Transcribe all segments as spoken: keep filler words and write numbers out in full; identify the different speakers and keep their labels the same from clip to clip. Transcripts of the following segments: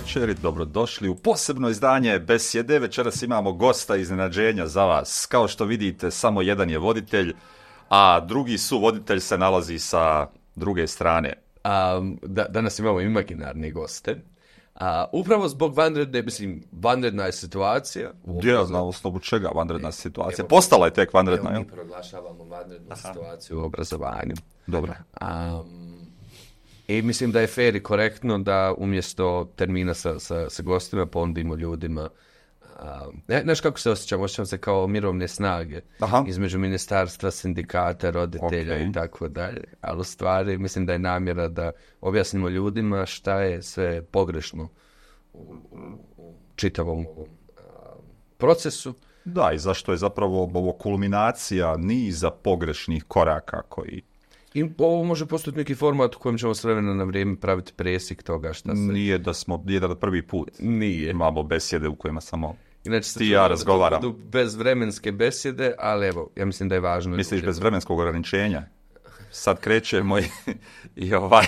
Speaker 1: večer i dobrodošli u posebno izdanje Besjede. Večeras imamo gosta iznenađenja za vas. Kao što vidite, samo jedan je voditelj, a drugi suvoditelj se nalazi sa druge strane.
Speaker 2: Um, da, danas imamo imaginarne goste. A, upravo zbog vanredne, mislim, vanredna je situacija.
Speaker 1: Ja, na osnovu čega vanredna e, situacija? Evo, Postala je tek vanredna,
Speaker 2: evo, mi proglašavamo vanrednu Aha. situaciju u obrazovanju.
Speaker 1: Dobro.
Speaker 2: Um, I mislim da je fair i korektno da umjesto termina sa, sa, sa gostima ponudimo ljudima. Um, ne, znaš kako se osjećam? Osjećam se kao mirovne snage
Speaker 1: Aha.
Speaker 2: između ministarstva, sindikata, roditelja okay. i tako dalje. Ali u stvari mislim da je namjera da objasnimo ljudima šta je sve pogrešno u, u, u čitavom ovom um, procesu.
Speaker 1: Da, i zašto je zapravo ovo kulminacija niza pogrešnih koraka koji...
Speaker 2: I ovo može postati neki format u kojem ćemo s vremena na vrijeme praviti presjek toga šta se...
Speaker 1: Nije da smo jedan prvi put.
Speaker 2: Nije.
Speaker 1: Imamo besjede u kojima samo
Speaker 2: Inače,
Speaker 1: ti ja razgovaram.
Speaker 2: Budu bezvremenske besjede, ali evo, ja mislim da je važno...
Speaker 1: Misliš bez vremenskog ograničenja? Sad krećemo i, i ovaj...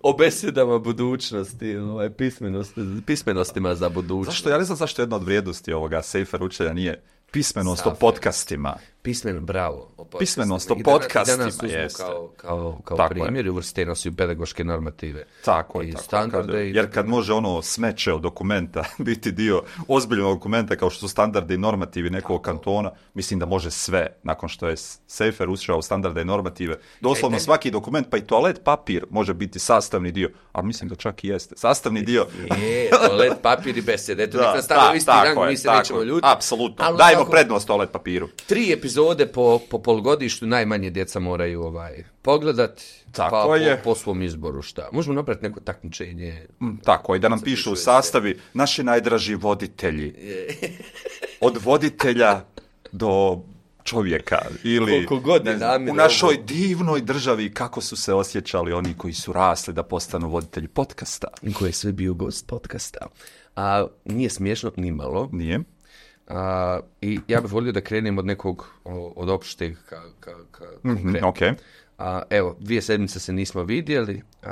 Speaker 2: o besjedama budućnosti, ovaj, pismenosti, pismenostima za budućnost.
Speaker 1: Zašto? Ja ne znam zašto jedna od vrijednosti ovoga Sejfer učenja nije pismenost o podcastima.
Speaker 2: Pismeno, bravo. O
Speaker 1: pismenost o podcastima,
Speaker 2: danas, danas
Speaker 1: jeste.
Speaker 2: Kao, kao, kao primjer i uvrste nas u pedagoške normative.
Speaker 1: Tako je, tako. Standarde. Kad, jer kad može ono smeće od dokumenta biti dio ozbiljnog dokumenta kao što su standarde i normativi nekog tako. Kantona, mislim da može sve, nakon što je Sejfer ušao u standarde i normative. Doslovno e, svaki dokument, pa i toalet papir može biti sastavni dio, a mislim da čak i jeste. Sastavni dio.
Speaker 2: Je, toalet papir i besede. Eto, nek nas stavio isti rang, mi se nećemo ljudi.
Speaker 1: Apsolutno. Ali dajmo tako, prednost toalet papiru.
Speaker 2: Tri epizode po, po polgodištu najmanje djeca moraju ovaj pogledati,
Speaker 1: tako
Speaker 2: pa
Speaker 1: je.
Speaker 2: Po, po svom izboru šta. Možemo napraviti neko takmičenje.
Speaker 1: Mm, tako je, da nam pišu u sastavi naši najdraži voditelji. Od voditelja do čovjeka. Ili
Speaker 2: god
Speaker 1: ne, u našoj ovo. divnoj državi kako su se osjećali oni koji su rasli da postanu voditelji podcasta.
Speaker 2: Koji je sve bio gost podcasta. A nije smiješno ni malo.
Speaker 1: Nije.
Speaker 2: Uh, I ja bih volio da krenem od nekog, od opšteg ka, ka, ka
Speaker 1: mm-hmm, okay.
Speaker 2: uh, Evo, dvije sedmice se nismo vidjeli, uh,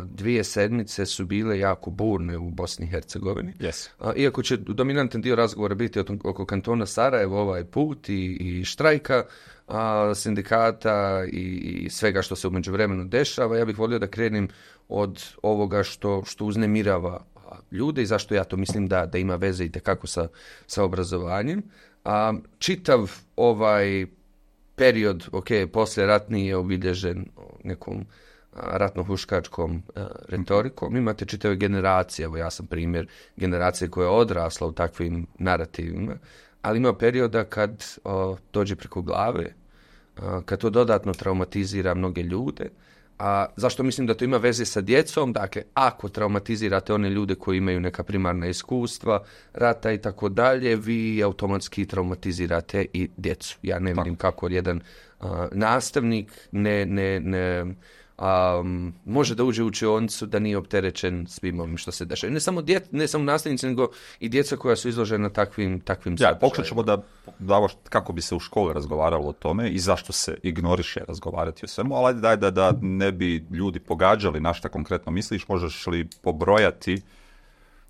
Speaker 2: dvije sedmice su bile jako burne u Bosni i Hercegovini.
Speaker 1: Yes.
Speaker 2: Uh, iako će dominantan dio razgovora biti oko kantona Sarajevo ovaj put i, i štrajka, uh, sindikata i, i svega što se u međuvremenu dešava, ja bih volio da krenem od ovoga što, što uznemirava ljude i zašto ja to mislim da, da ima veze i tekako sa, sa obrazovanjem. A, čitav ovaj period, ok, poslije ratni je obilježen nekom ratno-huškačkom a, retorikom. Imate čitave generacije, evo ja sam primjer generacije koja je odrasla u takvim narativima, ali ima perioda kad o, dođe preko glave, a, kad to dodatno traumatizira mnoge ljude. A zašto mislim da to ima veze sa djecom? Dakle, ako traumatizirate one ljude koji imaju neka primarna iskustva, rata i tako dalje, vi automatski traumatizirate i djecu. Ja ne vidim kako jedan uh, nastavnik ne, ne, ne um, može da uđe u učionicu da nije opterećen svim ovim što se dešava. Ne samo, dje, ne samo nastavnici, nego i djeca koja su izložena takvim, takvim
Speaker 1: ja, pokušat ćemo da, da kako bi se u školi razgovaralo o tome i zašto se ignoriše razgovarati o svemu, ali daj da, da ne bi ljudi pogađali na šta konkretno misliš, možeš li pobrojati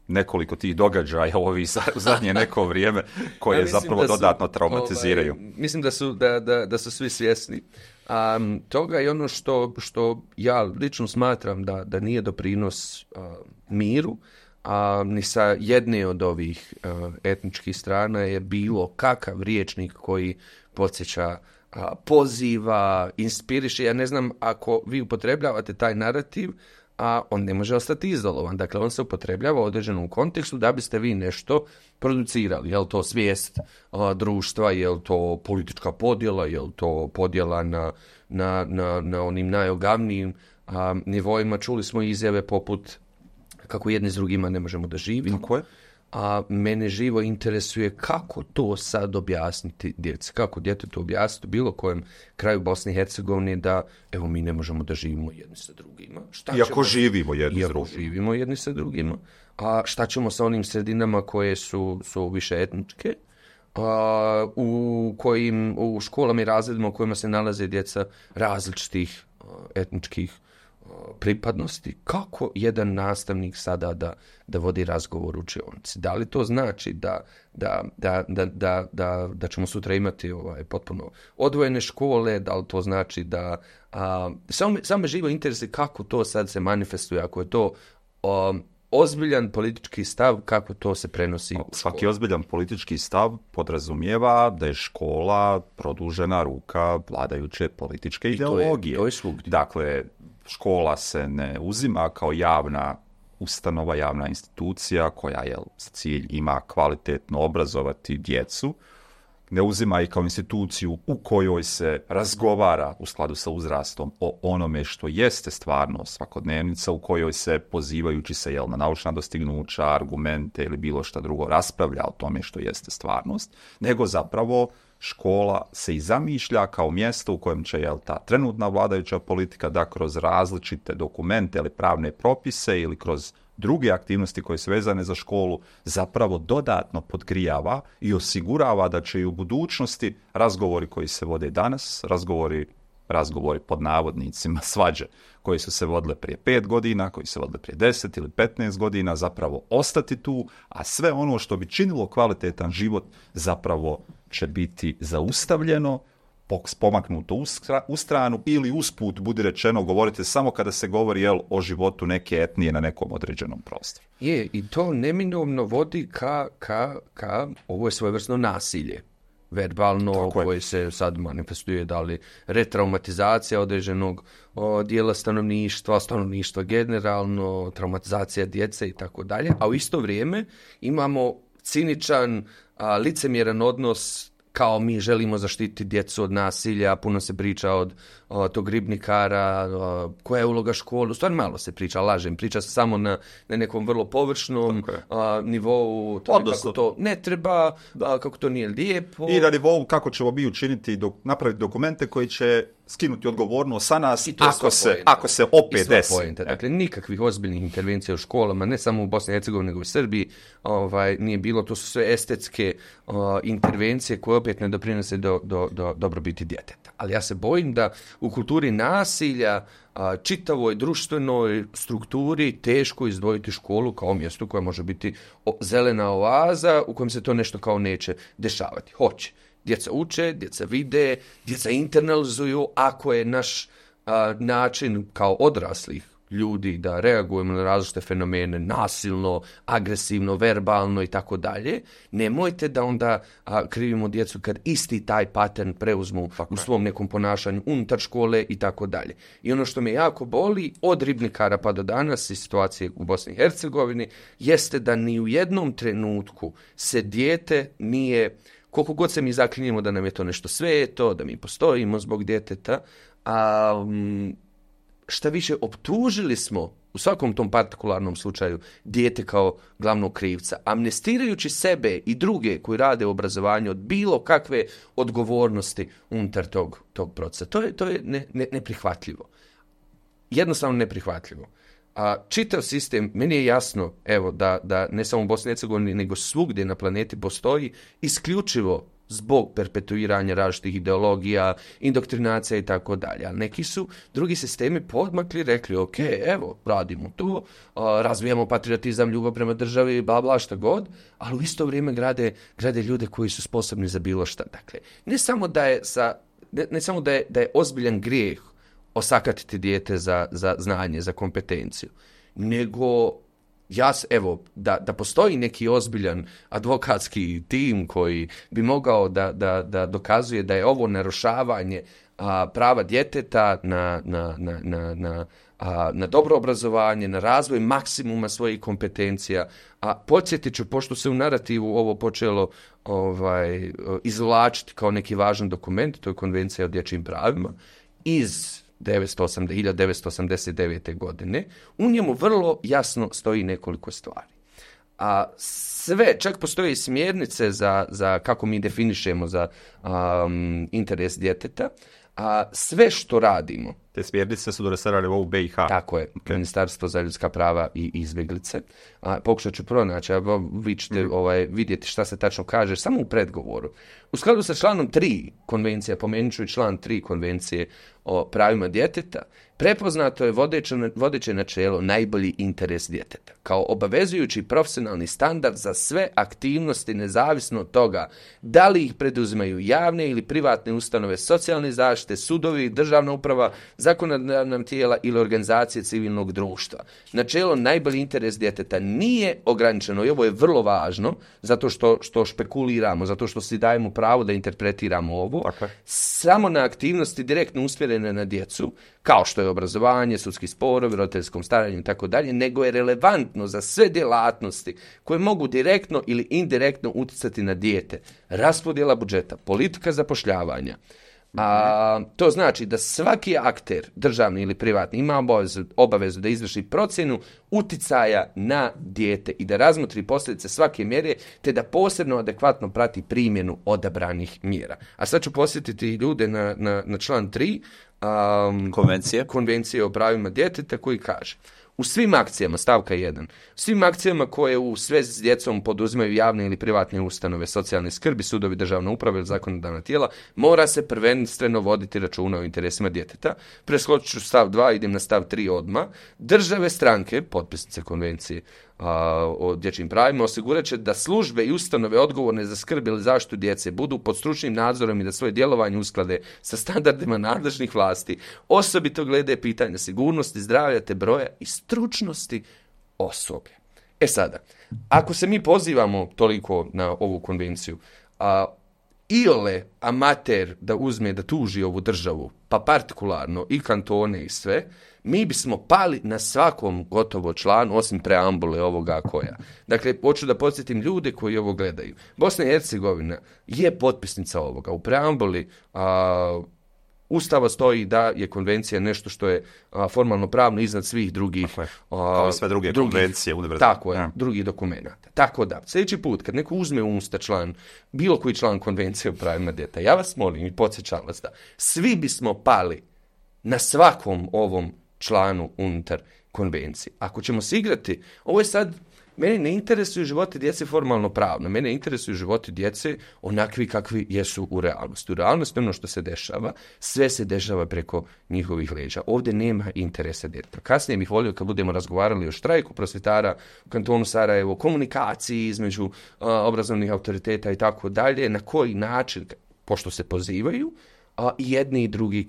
Speaker 1: nekoliko tih događaja ovi u zadnje neko vrijeme koje ja zapravo da su, dodatno traumatiziraju.
Speaker 2: Ovaj, mislim da su, da, da, da su svi svjesni um, toga i ono što, što ja lično smatram da, da nije doprinos uh, miru, a ni sa jedne od ovih uh, etničkih strana je bilo kakav riječnik koji podsjeća, uh, poziva, inspiriše. Ja ne znam, ako vi upotrebljavate taj narativ, a on ne može ostati izolovan. Dakle, on se upotrebljava u određenom kontekstu da biste vi nešto producirali. Je li to svijest a, društva, je li to politička podjela, je li to podjela na, na, na, na onim najogavnijim a, nivoima. Čuli smo izjave poput kako jedni s drugima ne možemo da živimo.
Speaker 1: Tako je.
Speaker 2: A mene živo interesuje kako to sad objasniti djeci, kako djetetu objasniti u bilo kojem kraju Bosne i Hercegovine da evo mi ne možemo da živimo jedni sa drugima.
Speaker 1: Šta iako ćemo, živimo jedni
Speaker 2: iako
Speaker 1: s drugima.
Speaker 2: živimo jedni sa drugima. A šta ćemo sa onim sredinama koje su, su više etničke, a, u kojim u školama i razredima u kojima se nalaze djeca različitih a, etničkih pripadnosti, kako jedan nastavnik sada da, da vodi razgovor u učionici? Da li to znači da, da, da, da, da, da, da ćemo sutra imati ovaj, potpuno odvojene škole? Da li to znači da... A, samo, me, samo me živo interesi kako to sad se manifestuje, ako je to um, ozbiljan politički stav, kako to se prenosi u
Speaker 1: Svaki ozbiljan politički stav podrazumijeva da je škola produžena ruka vladajuće političke ideologije.
Speaker 2: To je, to je svugdje.
Speaker 1: Dakle, škola se ne uzima kao javna ustanova, javna institucija koja je za cilj ima kvalitetno obrazovati djecu, ne uzima i kao instituciju u kojoj se razgovara u skladu sa uzrastom o onome što jeste stvarno svakodnevnica, u kojoj se, pozivajući se jel, na naučna dostignuća, argumente ili bilo šta drugo, raspravlja o tome što jeste stvarnost, nego zapravo škola se i zamišlja kao mjesto u kojem će jel, ta trenutna vladajuća politika da kroz različite dokumente ili pravne propise ili kroz druge aktivnosti koje su vezane za školu zapravo dodatno podgrijava i osigurava da će i u budućnosti razgovori koji se vode danas, razgovori, razgovori pod navodnicima, svađe koji su se vodile prije pet godina, koji se vodile prije deset ili petnaest godina, zapravo ostati tu, a sve ono što bi činilo kvalitetan život zapravo će biti zaustavljeno, pomaknuto u stranu ili usput, budi rečeno, govorite samo kada se govori jel, o životu neke etnije na nekom određenom prostoru.
Speaker 2: Je, i to neminovno vodi ka, ka, ka ovo je svojevrsno nasilje. Verbalno, koje se sad manifestuje, da li retraumatizacija određenog o, dijela stanovništva, stanovništva generalno, traumatizacija djece i tako dalje, a u isto vrijeme imamo ciničan, a, licemjeran odnos kao mi želimo zaštiti djecu od nasilja, puno se priča od o, tog ribnikara, o, koja je uloga škole, u stvari malo se priča, lažem, priča se samo na, na nekom vrlo površnom a, nivou, to kako to ne treba, a, kako to nije lijepo.
Speaker 1: I na nivou kako ćemo mi učiniti, do, napraviti dokumente koji će skinuti odgovornost sa nas ako se, ako se opet desi.
Speaker 2: Dakle, nikakvih ozbiljnih intervencija u školama, ne samo u Bosni i Hercegovini, nego u Srbiji, ovaj, nije bilo, to su sve estetske uh, intervencije koje opet ne doprinose do, do, do dobrobiti djeteta. Ali ja se bojim da u kulturi nasilja, uh, čitavoj društvenoj strukturi teško izdvojiti školu kao mjesto koje može biti o, zelena oaza u kojem se to nešto kao neće dešavati. Hoće. Djeca uče, djeca vide, djeca internalizuju, ako je naš a, način kao odraslih ljudi da reagujemo na različite fenomene nasilno, agresivno, verbalno i tako dalje, nemojte da onda a, krivimo djecu kad isti taj pattern preuzmu u svom nekom ponašanju unutar škole i tako dalje. I ono što me jako boli od ribnikara pa do danas i situacije u Bosni i Hercegovini jeste da ni u jednom trenutku se dijete nije, koliko god se mi zaklinjemo da nam je to nešto sveto, da mi postojimo zbog djeteta, a šta više, optužili smo u svakom tom partikularnom slučaju dijete kao glavnog krivca, amnestirajući sebe i druge koji rade u obrazovanju od bilo kakve odgovornosti unutar tog, tog procesa. To je, to je ne, ne, neprihvatljivo. Jednostavno neprihvatljivo. A čitav sistem, meni je jasno, evo, da, da ne samo u Bosni i Hercegovini, nego svugdje na planeti postoji isključivo zbog perpetuiranja različitih ideologija, indoktrinacija i tako dalje. Ali neki su drugi sistemi podmakli, rekli, ok, evo, radimo to, razvijamo patriotizam, ljubav prema državi, bla, bla, šta god, ali u isto vrijeme grade, grade ljude koji su sposobni za bilo šta. Dakle, ne samo da je, sa, ne, ne samo da je, da je ozbiljan grijeh osakatiti dijete za, za znanje, za kompetenciju, nego ja, evo, da, da postoji neki ozbiljan advokatski tim koji bi mogao da, da, da dokazuje da je ovo narušavanje a, prava djeteta na, na, na, na, na, a, na dobro obrazovanje, na razvoj maksimuma svojih kompetencija. A podsjetit ću, pošto se u narativu ovo počelo ovaj, izvlačiti kao neki važan dokument, to je Konvencija o dječjim pravima, iz hiljadu devetsto osamdeset devete. godine, u njemu vrlo jasno stoji nekoliko stvari. A sve, čak postoje smjernice za, za kako mi definišemo za um, interes djeteta, a sve što radimo
Speaker 1: Te smjernice su donesene u B i H.
Speaker 2: Tako je, okay. Ministarstvo za ljudska prava i izbjeglice. A, pokušat ću pronaći, a vi ćete mm. ovaj, vidjeti šta se tačno kaže samo u predgovoru. U skladu sa članom tri konvencije, pomenut ću i član tri konvencije o pravima djeteta, prepoznato je vodeće, vodeće načelo najbolji interes djeteta, kao obavezujući profesionalni standard za sve aktivnosti nezavisno od toga da li ih preduzimaju javne ili privatne ustanove socijalne zaštite, sudovi, državna uprava, zakonodavna tijela ili organizacije civilnog društva. Načelo najbolji interes djeteta nije ograničeno i ovo je vrlo važno zato što, što špekuliramo, zato što si dajemo pravo da interpretiramo ovo, okay. samo na aktivnosti direktno usmjerene na djecu, kao što je obrazovanje, sudski sporovi, roditeljskom staranju i tako dalje, nego je relevantno za sve djelatnosti koje mogu direktno ili indirektno utjecati na dijete. Raspodjela budžeta, politika zapošljavanja. A, to znači da svaki akter, državni ili privatni, ima obavezu, obavezu da izvrši procjenu uticaja na dijete i da razmotri posljedice svake mjere, te da posebno adekvatno prati primjenu odabranih mjera. A sad ću posjetiti ljude na, na, na član tri um,
Speaker 3: konvencije.
Speaker 2: konvencije o pravima djeteta koji kaže: u svim akcijama, stavka jedan, svim akcijama koje u svezi s djecom poduzimaju javne ili privatne ustanove socijalne skrbi, sudovi, državna uprava ili zakonodavna tijela, mora se prvenstveno voditi računa o interesima djeteta. Preskočit ću stav dva, idem na stav tri odmah. Države stranke, potpisnice konvencije a, o dječjim pravima, osigurat će da službe i ustanove odgovorne za skrb ili zaštitu djece budu pod stručnim nadzorom i da svoje djelovanje usklade sa standardima nadležnih vlasti, osobito glede pitanja sigurnosti, zdravlja te broja i stručnosti osoblja. E sada, ako se mi pozivamo toliko na ovu konvenciju, a iole amater da uzme da tuži ovu državu, pa partikularno i kantone i sve, mi bismo pali na svakom gotovo članu, osim preambule ovoga koja. Dakle, hoću da podsjetim ljude koji ovo gledaju. Bosna i Hercegovina je potpisnica ovoga. U preambuli a, Ustava stoji da je konvencija nešto što je a, formalno pravno iznad svih drugih...
Speaker 1: A, kao sve druge
Speaker 2: drugih,
Speaker 1: konvencije univerzalne.
Speaker 2: Tako je, ja. drugih dokumenta. Tako da, sljedeći put kad neko uzme u usta član, bilo koji član konvencije o pravima djeteta, ja vas molim i podsjećam vas da svi bismo pali na svakom ovom članu unutar konvencije. Ako ćemo se igrati, ovo je sad, mene ne interesuju životi djece formalno pravno, mene interesuju životi djece onakvi kakvi jesu u realnosti. U realnosti ono što se dešava, sve se dešava preko njihovih leđa. Ovdje nema interesa djeteta. Kasnije bih volio kad budemo razgovarali o štrajku prosvjetara u kantonu Sarajevo, komunikaciji između uh, obrazovnih autoriteta i tako dalje, na koji način, pošto se pozivaju, a jedni i drugi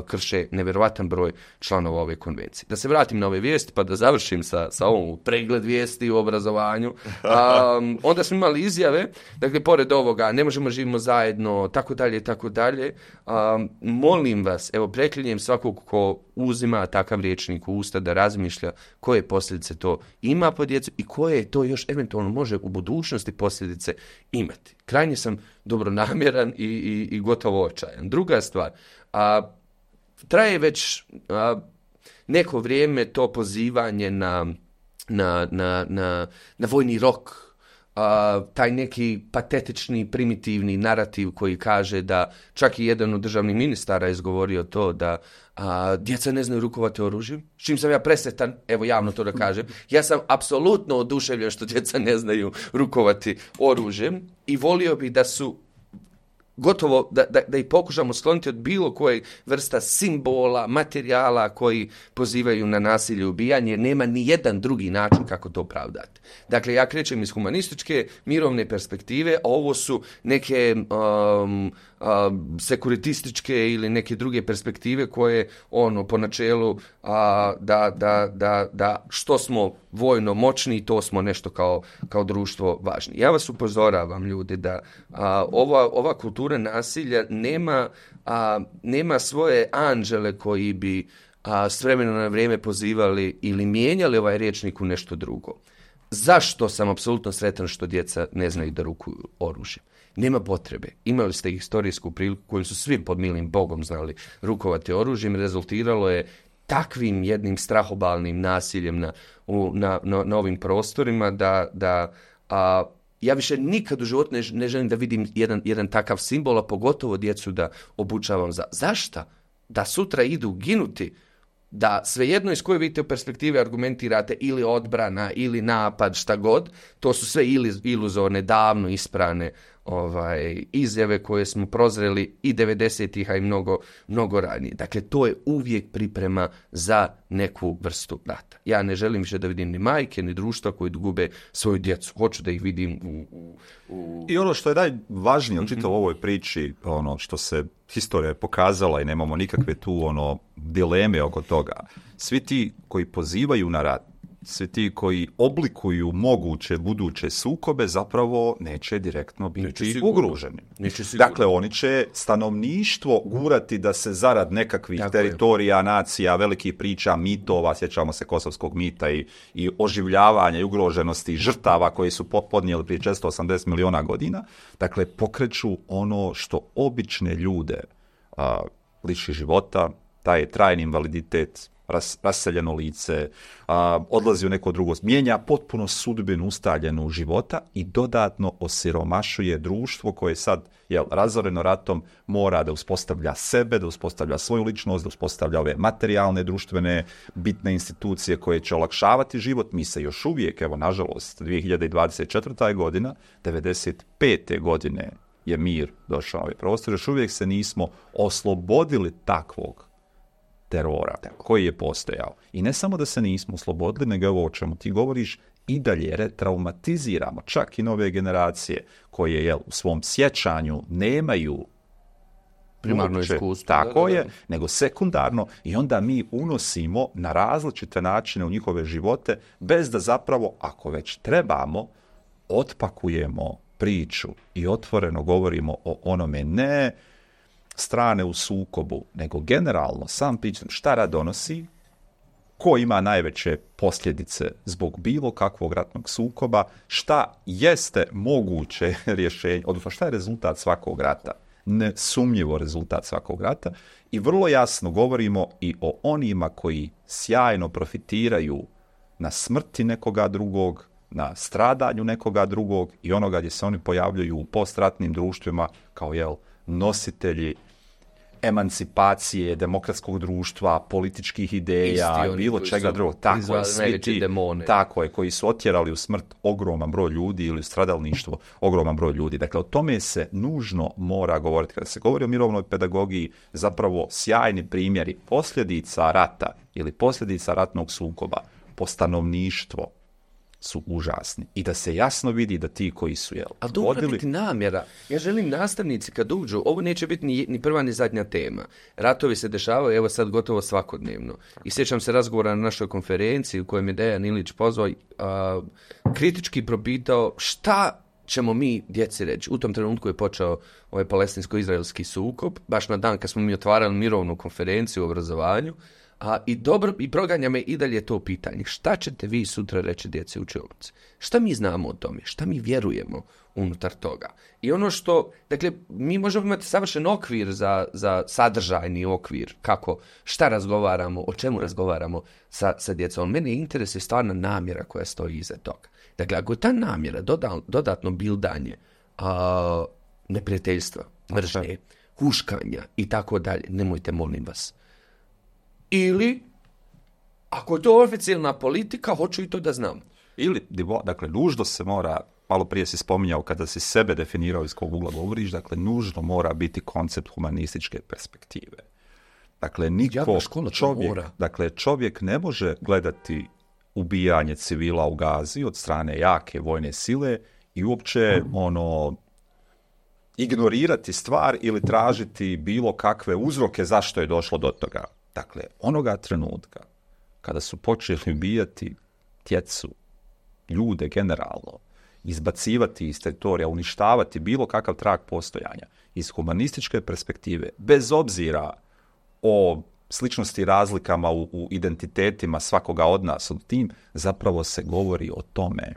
Speaker 2: krše nevjerovatan broj članova ove konvencije. Da se vratim na ove vijesti pa da završim sa, sa ovom pregled vijesti u obrazovanju. Um, onda smo imali izjave, dakle, pored ovoga, ne možemo živimo zajedno, tako dalje, tako dalje. Um, molim vas, evo, preklinjem svakog ko uzima takav rječnik u usta da razmišlja koje posljedice to ima po djecu i koje to još eventualno može u budućnosti posljedice imati. Krajnje sam dobronamjeran i, i, i gotovo očajan. Druga stvar, a, traje već a, neko vrijeme to pozivanje na, na, na, na, na vojni rok, a, taj neki patetični, primitivni narativ koji kaže da čak i jedan od državnih ministara je izgovorio to da a, djeca ne znaju rukovati oružjem, s čim sam ja presretan, evo javno to da kažem. Ja sam apsolutno oduševljen što djeca ne znaju rukovati oružjem i volio bih da su gotovo da, da, da ih pokušamo skloniti od bilo koje vrsta simbola, materijala koji pozivaju na nasilje i ubijanje, jer nema ni jedan drugi način kako to opravdati. Dakle, ja krećem iz humanističke, mirovne perspektive, a ovo su neke um, um, sekuritističke ili neke druge perspektive koje, ono, po načelu a, da, da, da, da što smo vojno moćni, to smo nešto kao, kao društvo važni. Ja vas upozoravam, ljudi, da a, ova, ova kultura nasilja nema, a, nema svoje anđele koji bi a, s vremena na vrijeme pozivali ili mijenjali ovaj rječnik u nešto drugo. Zašto sam apsolutno sretan što djeca ne znaju da rukuju oružje? Nema potrebe. Imali ste historijsku priliku koju su svi pod milim Bogom znali rukovati oružjem. Rezultiralo je takvim jednim strahobalnim nasiljem na, u, na, na, na ovim prostorima da, da a, ja više nikad u životu ne, ne želim da vidim jedan, jedan takav simbol, a pogotovo djecu da obučavam za. Zašta? da sutra idu ginuti, da svejedno iz koje vidite perspektive argumentirate ili odbrana ili napad, šta god, to su sve iluzorne, davno isprane ovaj, izjave koje smo prozreli i devedesetih, a i mnogo, mnogo ranije. Dakle, to je uvijek priprema za neku vrstu rata. Ja ne želim više da vidim ni majke, ni društva koji gube svoju djecu. Hoću da ih vidim u... u, u...
Speaker 1: I ono što je najvažnije očito u ovoj priči, ono što se historija pokazala i nemamo nikakve tu ono dileme oko toga. Svi ti koji pozivaju na rat, svi ti koji oblikuju moguće buduće sukobe zapravo neće direktno biti ugroženi. Dakle, oni će stanovništvo gurati da se zarad nekakvih Tako teritorija, je. nacija, velikih priča, mitova, sjećamo se kosovskog mita i, i oživljavanja i ugroženosti žrtava koji su podnijeli prije često osamdeset miliona godina. Dakle, pokreću ono što obične ljude a, liši života, taj trajni invaliditet, Ras, raseljeno lice, a, odlazi u neko drugo, mijenja potpuno sudbinu ustaljenu života i dodatno osiromašuje društvo koje sad, jel, razoreno ratom mora da uspostavlja sebe, da uspostavlja svoju ličnost, da uspostavlja ove materijalne, društvene, bitne institucije koje će olakšavati život. Mi se još uvijek, evo, nažalost, dvije hiljade dvadeset četvrta godina, devedeset pete godine je mir došao na ovaj prostor, još uvijek se nismo oslobodili takvog terora koji je postojao. I ne samo da se nismo oslobodili, nego ovo o čemu ti govoriš, i dalje retraumatiziramo čak i nove generacije koje, jel, u svom sjećanju nemaju
Speaker 2: primarno iskustvo.
Speaker 1: Tako
Speaker 2: da, da, da.
Speaker 1: je, nego sekundarno, i onda mi unosimo na različite načine u njihove živote, bez da zapravo, ako već trebamo, otpakujemo priču i otvoreno govorimo o onome, ne strane u sukobu, nego generalno sam pitam šta rat donosi, ko ima najveće posljedice zbog bilo kakvog ratnog sukoba, šta jeste moguće rješenje, odnosno šta je rezultat svakog rata, nesumnjivo rezultat svakog rata, i vrlo jasno govorimo i o onima koji sjajno profitiraju na smrti nekoga drugog, na stradanju nekoga drugog i onoga gdje se oni pojavljuju u postratnim društvima kao, jel, nositelji emancipacije, demokratskog društva, političkih ideja,
Speaker 2: Isti
Speaker 1: bilo čega drugog. Tako je, svi ti,
Speaker 2: demone.
Speaker 1: tako je, koji su otjerali u smrt ogroman broj ljudi ili u stradalništvo ogroman broj ljudi. Dakle, o tome se nužno mora govoriti. Kada se govori o mirovnoj pedagogiji, zapravo sjajni primjeri posljedica rata ili posljedica ratnog sukoba po stanovništvo su užasni. I da se jasno vidi da ti koji su, jel,
Speaker 2: ali to mora biti namjera. Ja želim nastavnici kad uđu, ovo neće biti ni, ni prva ni zadnja tema. Ratovi se dešavaju, evo sad gotovo svakodnevno. I sjećam se razgovora na našoj konferenciji u kojem je Dejan Ilić pozvao, a, kritički propitao šta ćemo mi djeci reći. U tom trenutku je počeo ovaj palestinsko-izraelski sukob, baš na dan kad smo mi otvarali mirovnu konferenciju o obrazovanju. A i dobro, i proganja me i dalje to pitanje. Šta ćete vi sutra reći djeci učionici? Šta mi znamo o tome? Šta mi vjerujemo unutar toga? I ono što, dakle, mi možemo imati savršen okvir za, za sadržajni okvir, kako, šta razgovaramo, o čemu razgovaramo sa, sa djecom. Mene interesuje stvarna namjera koja stoji iza toga. Dakle, ako je ta namjera doda, dodatno bildanje a, neprijateljstva, mržnje, huškanja i tako dalje, nemojte, molim vas. Ili, ako je to oficijalna politika, hoću i to da znam.
Speaker 1: Ili, dakle, nužno se mora, malo prije si spominjao kada si sebe definirao iz kog ugla govoriš, dakle, nužno mora biti koncept humanističke perspektive. Dakle, niko, čovjek, dakle, čovjek ne može gledati ubijanje civila u Gazi od strane jake vojne sile i uopće, ono, ignorirati stvar ili tražiti bilo kakve uzroke zašto je došlo do toga. Dakle, onoga trenutka kada su počeli ubijati djecu, ljude generalno, izbacivati iz teritorija, uništavati bilo kakav trag postojanja iz humanističke perspektive, bez obzira o sličnosti i razlikama u, u identitetima svakoga od nas, od tim zapravo se govori o tome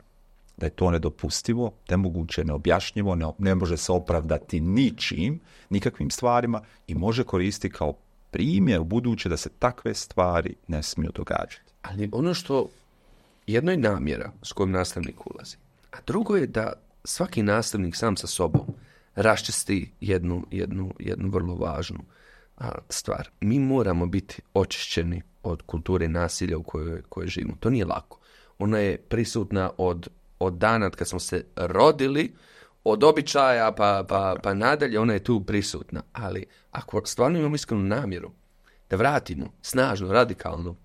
Speaker 1: da je to nedopustivo, nemoguće, neobjašnjivo, ne, ne može se opravdati ničim, nikakvim stvarima i može koristiti kao primjer u buduće da se takve stvari ne smiju događati.
Speaker 2: Ali ono što jedno je namjera s kojom nastavnik ulazi, a drugo je da svaki nastavnik sam sa sobom raščisti jednu, jednu, jednu vrlo važnu a, stvar. Mi moramo biti očišćeni od kulture nasilja u kojoj, kojoj živimo. To nije lako. Ona je prisutna od, od dana kad smo se rodili, od običaja pa, pa, pa nadalje, ona je tu prisutna. Ali ako stvarno imamo iskrenu namjeru da vratimo snažnu, radikalnu,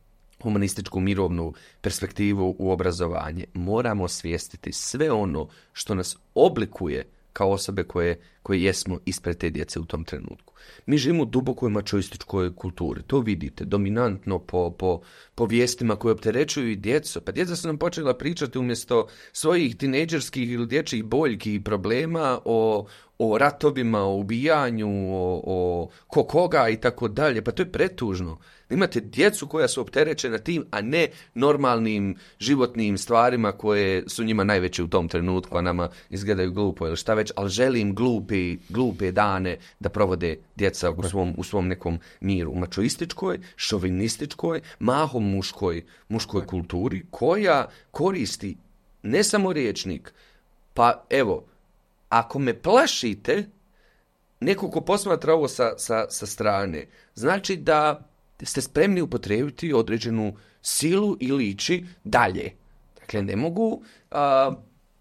Speaker 2: humanističku, mirovnu perspektivu u obrazovanje, moramo osvijestiti sve ono što nas oblikuje kao osobe koje, koje jesmo ispred te djece u tom trenutku. Mi živimo u dubokoj mačoističkoj kulturi. To vidite dominantno po, po, po vijestima koje opterećuju i djecu. Pa djeca su nam počela pričati umjesto svojih tinejdžerskih ili dječjih boljki i problema o, o ratovima, o ubijanju, o, o ko koga i tako dalje. Pa to je pretužno. Imate djecu koja su opterećena tim, a ne normalnim životnim stvarima koje su njima najveće u tom trenutku, a nama izgledaju glupo ili šta već, ali želim glupe, glupe dane da provode djeca u svom, u svom nekom miru. U mačoističkoj, šovinističkoj, mahom muškoj, muškoj kulturi koja koristi ne samo rječnik, pa evo, ako me plašite, neko ko posmatra ovo sa, sa, sa strane, znači da ste spremni upotrijebiti određenu silu ili ići dalje. Dakle, ne mogu... A,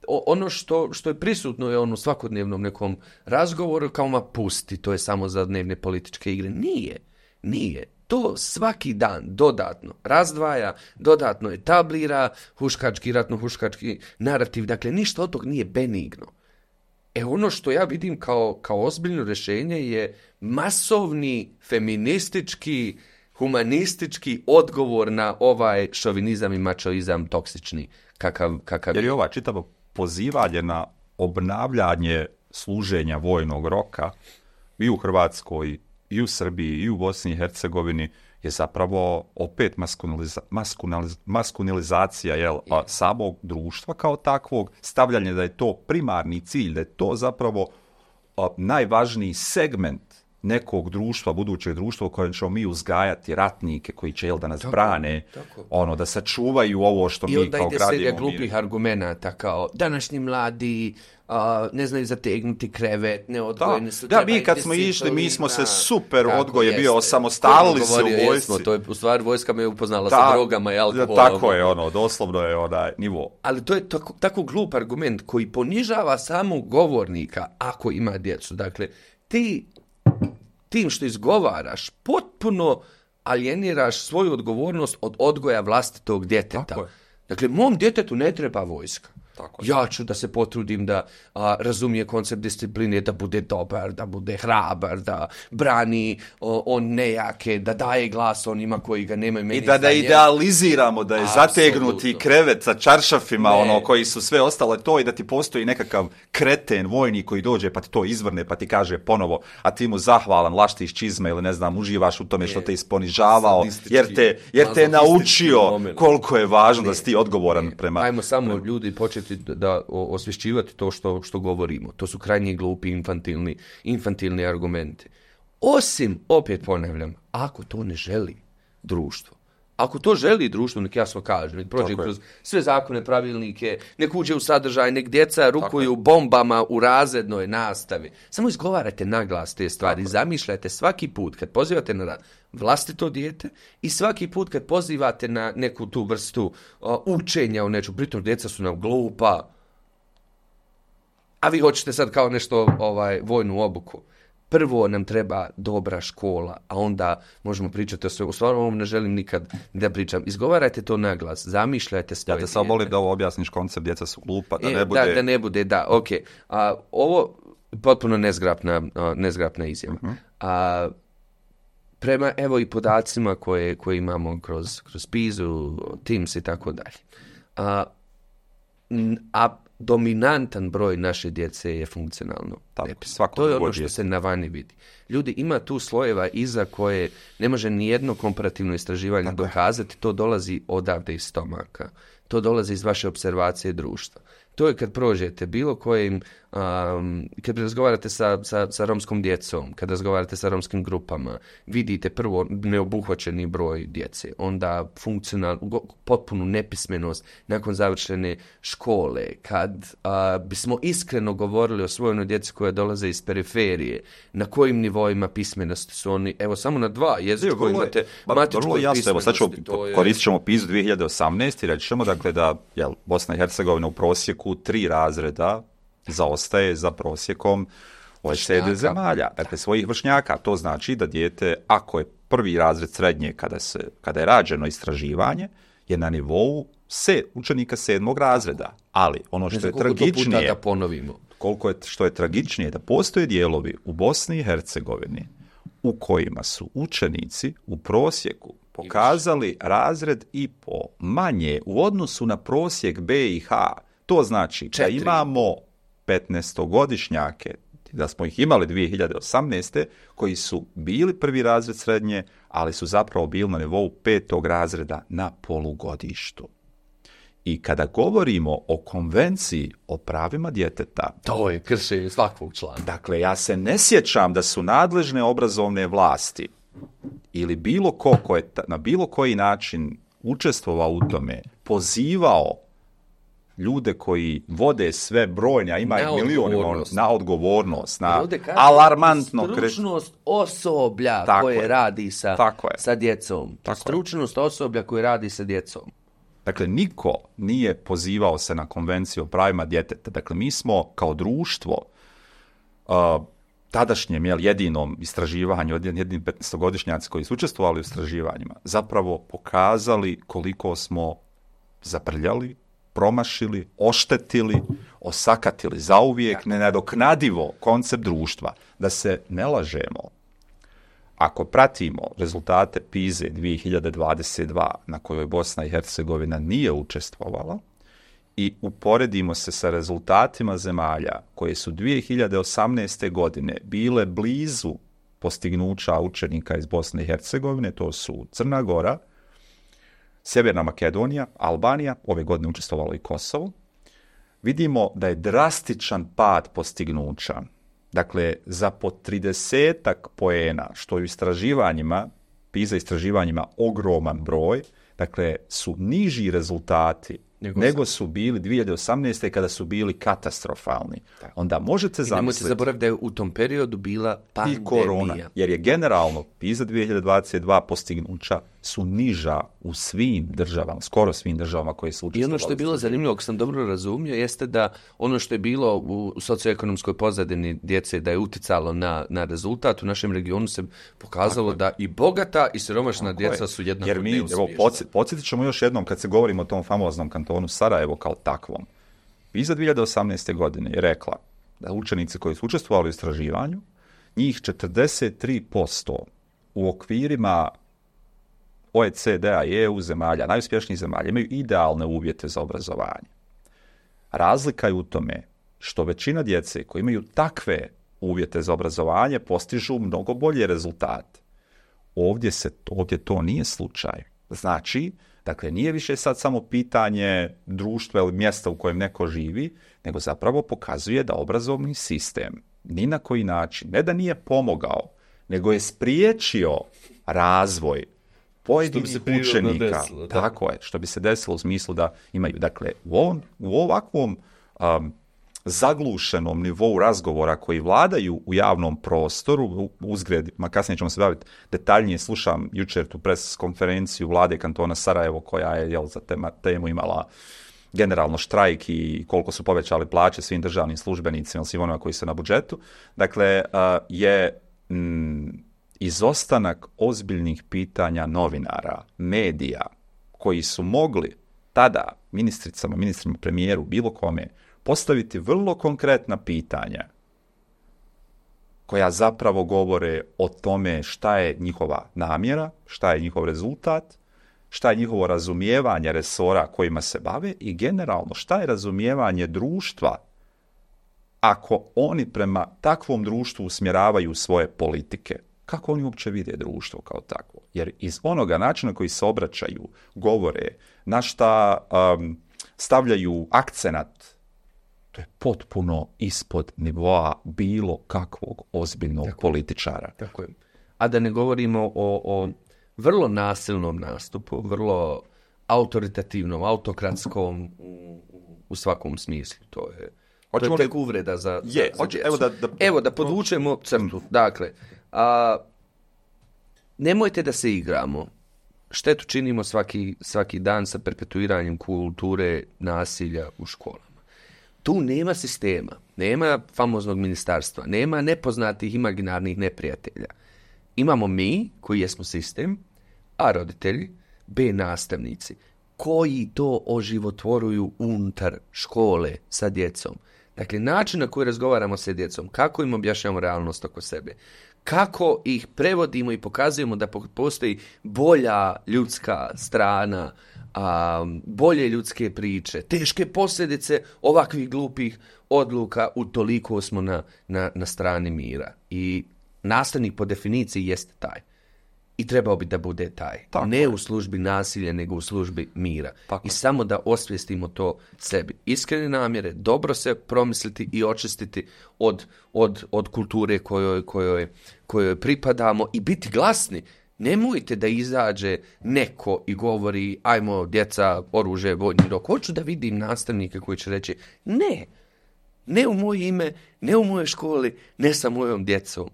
Speaker 2: ono što, što je prisutno je ono svakodnevnom nekom razgovoru kao ma pusti, to je samo za dnevne političke igre. Nije, nije. To svaki dan dodatno razdvaja, dodatno etablira huškački, ratno-huškački narativ. Dakle, ništa od tog nije benigno. E ono što ja vidim kao, kao ozbiljno rješenje je masovni feministički, humanistički odgovor na ovaj šovinizam i mačoizam toksični kakav, kakav
Speaker 1: jer je ova čitavo pozivanje na obnavljanje služenja vojnog roka i u Hrvatskoj, i u Srbiji, i u Bosni i Hercegovini je zapravo opet maskuliniza, maskuliniz, maskulinizacija jel, a, samog društva kao takvog, stavljanje da je to primarni cilj, da je to zapravo a, najvažniji segment nekog društva, budućeg društva u kojem ćemo mi uzgajati ratnike koji će jel, da nas tako, brane, tako. Ono, da sačuvaju ovo što
Speaker 2: I
Speaker 1: mi kao gradimo. I onda ide serija
Speaker 2: glupih argumenata kao današnji mladi uh, ne znaju zategnuti krevet, neodgojeni su.
Speaker 1: Da, mi kad smo išli, mi smo se super odgoj je bio, osamostalili se u vojsci.
Speaker 2: Jesmo, to je u stvari vojska me upoznala da, sa drogama i alkoholom.
Speaker 1: Tako je ono, doslovno je onaj nivo.
Speaker 2: Ali to je tako, tako glup argument koji ponižava samog govornika ako ima djecu. Dakle, ti tim što izgovaraš, potpuno alijeniraš svoju odgovornost od odgoja vlastitog djeteta. Dakle, mom djetetu ne treba vojska. Tako ja ću da se potrudim da a, razumije koncept discipline, da bude dobar, da bude hrabar, da brani o, on nejake, da daje glas onima koji ga nemaju. Meni
Speaker 1: I da da idealiziramo, da je Absolutno. zategnuti krevet sa čaršafima, ne. ono koji su sve ostale to i da ti postoji nekakav kreten vojnik koji dođe pa ti to izvrne pa ti kaže ponovo, a ti mu zahvalan, laštiš čizme ili ne znam, uživaš u tome što te isponižavao, jer te, jer te je naučio moment. koliko je važno ne. da si ti odgovoran ne. prema...
Speaker 2: Ajmo samo
Speaker 1: prema...
Speaker 2: ljudi početi da osvješćivati to što, što govorimo. To su krajnje glupi, infantilni, infantilni argumenti. Osim, opet ponavljam, ako to ne želi društvo, ako to želi društvo, nek jasno kaže, nek prođe kroz sve zakone, pravilnike, nek uđe u sadržaj, nek djeca rukuju bombama u razrednoj nastavi. Samo izgovarajte naglas te stvari, zamišljajte svaki put kad pozivate na vlastito dijete i svaki put kad pozivate na neku tu vrstu uh, učenja u neču, pritom djeca su nam glupa, a vi hoćete sad kao nešto ovaj vojnu obuku. Prvo nam treba dobra škola, a onda možemo pričati o sve. U stvarno ovom ne želim nikad da pričam. Izgovarajte to na glas, zamišljajte svoje
Speaker 1: dijete. Ja te samo molim da ovo objasniš koncept, djeca su glupa, da
Speaker 2: e,
Speaker 1: ne bude...
Speaker 2: Da, da ne bude, da, ok. A, ovo potpuno nezgrapna, a, nezgrapna izjava. Uh-huh. A, prema, evo i podacima koje, koje imamo kroz, kroz Pizu, Teams i tako dalje. A, a dominantan broj naše djece je funkcionalno nepismeno. To je ono što se na vani vidi. Ljudi, ima tu slojeva iza koje ne može ni jedno komparativno istraživanje Tako dokazati. Je. To dolazi odavde iz stomaka. To dolazi iz vaše observacije društva. To je kad prođete bilo kojim Um, kad razgovarate sa, sa, sa romskom djecom, kad razgovarate sa romskim grupama, vidite prvo neobuhvaćeni broj djece, onda funkcional, potpunu nepismenost nakon završene škole, kad uh, bismo iskreno govorili o svojoj djeci koja dolaze iz periferije, na kojim nivoima pismenosti su oni, evo samo na dva jezika koji imate matičku pismenosti.
Speaker 1: Evo sad ćemo,
Speaker 2: je...
Speaker 1: koristit ćemo PISA dvije hiljade osamnaeste i reći ćemo dakle da jel, Bosna i Hercegovina u prosjeku tri razreda zaostaje za prosjekom O E C D zemalja, dakle svojih vršnjaka. To znači da dijete, ako je prvi razred srednje kada, se, kada je rađeno istraživanje, je na nivou se, učenika sedmog razreda. Ali ono što je tragičnije,
Speaker 2: da ponovimo.
Speaker 1: koliko je, što je tragičnije, da postoje dijelovi u Bosni i Hercegovini u kojima su učenici u prosjeku pokazali razred i po manje u odnosu na prosjek B i H. To znači Četiri. da imamo petnaestogodišnjake, da smo ih imali dvije hiljade osamnaeste koji su bili prvi razred srednje, ali su zapravo bili na nivou petog razreda na polugodištu. I kada govorimo o konvenciji o pravima djeteta,
Speaker 2: to je kršenje svakog člana.
Speaker 1: Dakle, ja se ne sjećam da su nadležne obrazovne vlasti ili bilo ko ko je na bilo koji način učestvovao u tome, pozivao ljude koji vode sve brojne, a ima ih milijoni, na odgovornost, na alarmantno...
Speaker 2: Stručnost osoblja tako koje je. radi sa, sa djecom. Tako stručnost je. osoblja koje radi sa djecom.
Speaker 1: Dakle, niko nije pozivao se na konvenciju o pravima djeteta. Dakle, mi smo kao društvo uh, tadašnjem jel, jedinom istraživanju, jedinim petnaestogodišnjaci koji su učestvovali u istraživanjima, zapravo pokazali koliko smo zaprljali, promašili, oštetili, osakatili zauvijek, nenadoknadivo koncept društva. Da se ne lažemo, ako pratimo rezultate PISA dvije hiljade dvadeset dva na kojoj Bosna i Hercegovina nije učestvovala i uporedimo se sa rezultatima zemalja koje su dvije hiljade osamnaeste godine bile blizu postignuća učenika iz Bosne i Hercegovine, to su Crna Gora, Sjeverna Makedonija, Albanija, ove godine učestvovalo i Kosovo, vidimo da je drastičan pad postignuća. Dakle, za po tridesetak poena, što je u istraživanjima, PISA istraživanjima ogroman broj, dakle, su niži rezultati nego, nego su bili dvije hiljade osamnaeste kada su bili katastrofalni. Tako. Onda možete zamisliti... I nemojte
Speaker 2: zaboraviti da je u tom periodu bila pandemija.
Speaker 1: I korona, jer je generalno PISA dvije hiljade dvadeset dva postignuća su niža u svim državama, skoro svim državama koje su učestvovali.
Speaker 2: I ono što je bilo zanimljivo, ako sam dobro razumio, jeste da ono što je bilo u socioekonomskoj pozadini djece da je uticalo na, na rezultat, u našem regionu se pokazalo da i bogata i siromašna djeca su jednako
Speaker 1: jer mi, evo, podsjetit ćemo još jednom kad se govorimo o tom famoznom kantonu Sarajevo kao takvom. PISA dvije hiljade osamnaeste godine je rekla da učenici koji su učestvovali u istraživanju, njih četrdeset tri posto u okvirima O E C D-a i E U zemalja, najuspješnijih zemalja, imaju idealne uvjete za obrazovanje. Razlika je u tome što većina djece koji imaju takve uvjete za obrazovanje postižu mnogo bolje rezultate. Ovdje, se, ovdje to nije slučaj. Znači, dakle, nije više sad samo pitanje društva ili mjesta u kojem neko živi, nego zapravo pokazuje da obrazovni sistem ni na koji način, ne da nije pomogao, nego je spriječio razvoj pojedinih učenika. Desilo, tako je, što bi se desilo u smislu da imaju, dakle, u, ovom, u ovakvom um, zaglušenom nivou razgovora koji vladaju u javnom prostoru, uzgred, ma kasnije ćemo se baviti detaljnije, slušam jučer tu pres konferenciju vlade kantona Sarajevo koja je jel, za tema, temu imala generalno štrajk i koliko su povećali plaće svim državnim službenicima, svim onima koji su na budžetu. Dakle, uh, je mm, izostanak ozbiljnih pitanja novinara, medija, koji su mogli tada ministricama, ministrima, premijeru, bilo kome, postaviti vrlo konkretna pitanja koja zapravo govore o tome šta je njihova namjera, šta je njihov rezultat, šta je njihovo razumijevanje resora kojima se bave i generalno šta je razumijevanje društva ako oni prema takvom društvu usmjeravaju svoje politike. Kako oni uopće vide društvo kao takvo? Jer iz onoga načina koji se obraćaju, govore, na šta um, stavljaju akcenat, to to je potpuno ispod nivoa bilo kakvog ozbiljnog
Speaker 2: tako,
Speaker 1: političara.
Speaker 2: Tako je. A da ne govorimo o, o vrlo nasilnom nastupu, vrlo autoritativnom, autokratskom u, u svakom smislu. To je, to je tek uvreda za, za,
Speaker 1: je,
Speaker 2: za
Speaker 1: hoće, evo, da, da,
Speaker 2: evo da podvučemo crtu. Dakle, a, nemojte da se igramo. Štetu činimo svaki, svaki dan sa perpetuiranjem kulture nasilja u školama. Tu nema sistema, nema famoznog ministarstva, nema nepoznatih imaginarnih neprijatelja. Imamo mi, koji jesmo sistem, a roditelji, B nastavnici, koji to oživotvoruju unutar škole sa djecom. Dakle, način na koji razgovaramo sa djecom, kako im objašnjamo realnost oko sebe, kako ih prevodimo i pokazujemo da postoji bolja ljudska strana, a, bolje ljudske priče, teške posljedice ovakvih glupih odluka, utoliko smo na, na, na strani mira. I nastavnik po definiciji jeste taj. I trebao bi da bude taj. Tako ne je. U službi nasilja, nego u službi mira. Tako I je. Samo da osvijestimo to sebi. Iskrene namjere, dobro se promisliti i očistiti od, od, od kulture kojoj, kojoj, kojoj pripadamo i biti glasni. Nemojte da izađe neko i govori ajmo djeca, oružje, vojni rok. Hoću da vidim nastavnike koji će reći ne, ne u moje ime, ne u mojoj školi, ne sa mojom djecom.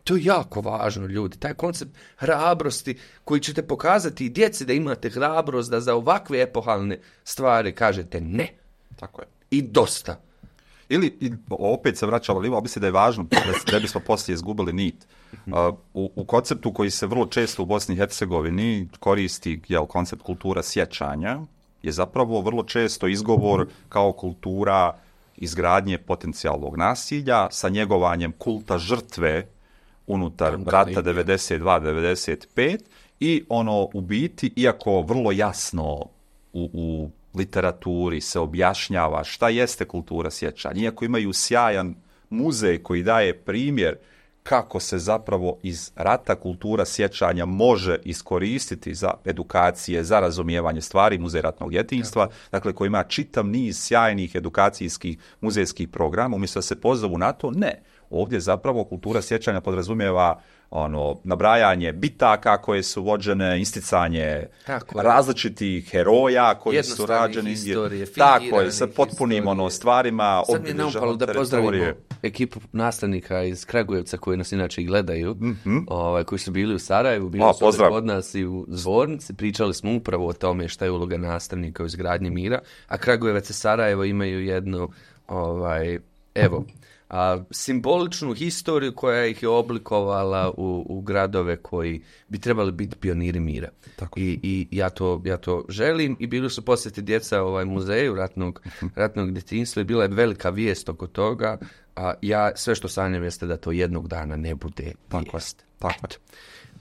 Speaker 2: To je jako važno, ljudi. Taj koncept hrabrosti koji ćete pokazati i djeci da imate hrabrost da za ovakve epohalne stvari kažete ne.
Speaker 1: Tako je.
Speaker 2: I dosta.
Speaker 1: Ili, i, opet se vraćalo, ali mislim da je važno da, da bismo poslije izgubili nit. Uh, u, u konceptu koji se vrlo često u Bosni i Hercegovini koristi, jel, koncept kultura sjećanja, je zapravo vrlo često izgovor kao kultura izgradnje potencijalnog nasilja sa njegovanjem kulta žrtve unutar rata devedeset dva devedeset pet i ono u biti, iako vrlo jasno u, u literaturi se objašnjava šta jeste kultura sjećanja, iako imaju sjajan muzej koji daje primjer kako se zapravo iz rata kultura sjećanja može iskoristiti za edukacije, za razumijevanje stvari, muzej ratnog djetinjstva, dakle koji ima čitav niz sjajnih edukacijskih muzejskih programa, umjesto da se pozovu na to, ne. Ovdje zapravo kultura sjećanja podrazumijeva ono, nabrajanje bitaka koje su vođene, isticanje tako različitih heroja koji su rađeni. Historije, tako je, sa potpunim ono, stvarima.
Speaker 2: Sad mi je naupalo da pozdravimo ekipu nastavnika iz Kragujevca koji nas inače i gledaju, mm-hmm. ovaj, koji su bili u Sarajevu, bili o, su kod nas i u Zvornici, pričali smo upravo o tome šta je uloga nastavnika u izgradnji mira, a Kragujevac i Sarajevo imaju jednu, ovaj, evo, a, simboličnu historiju koja ih je oblikovala u, u gradove koji bi trebali biti pioniri mira. Tako. I, i ja, to, ja to želim i bili su posjeti djeca ovaj muzeju ratnog, ratnog djetinjstva i bila je velika vijest oko toga, a ja sve što sanjam jeste da to jednog dana ne bude vijest.
Speaker 1: Tako. Tako.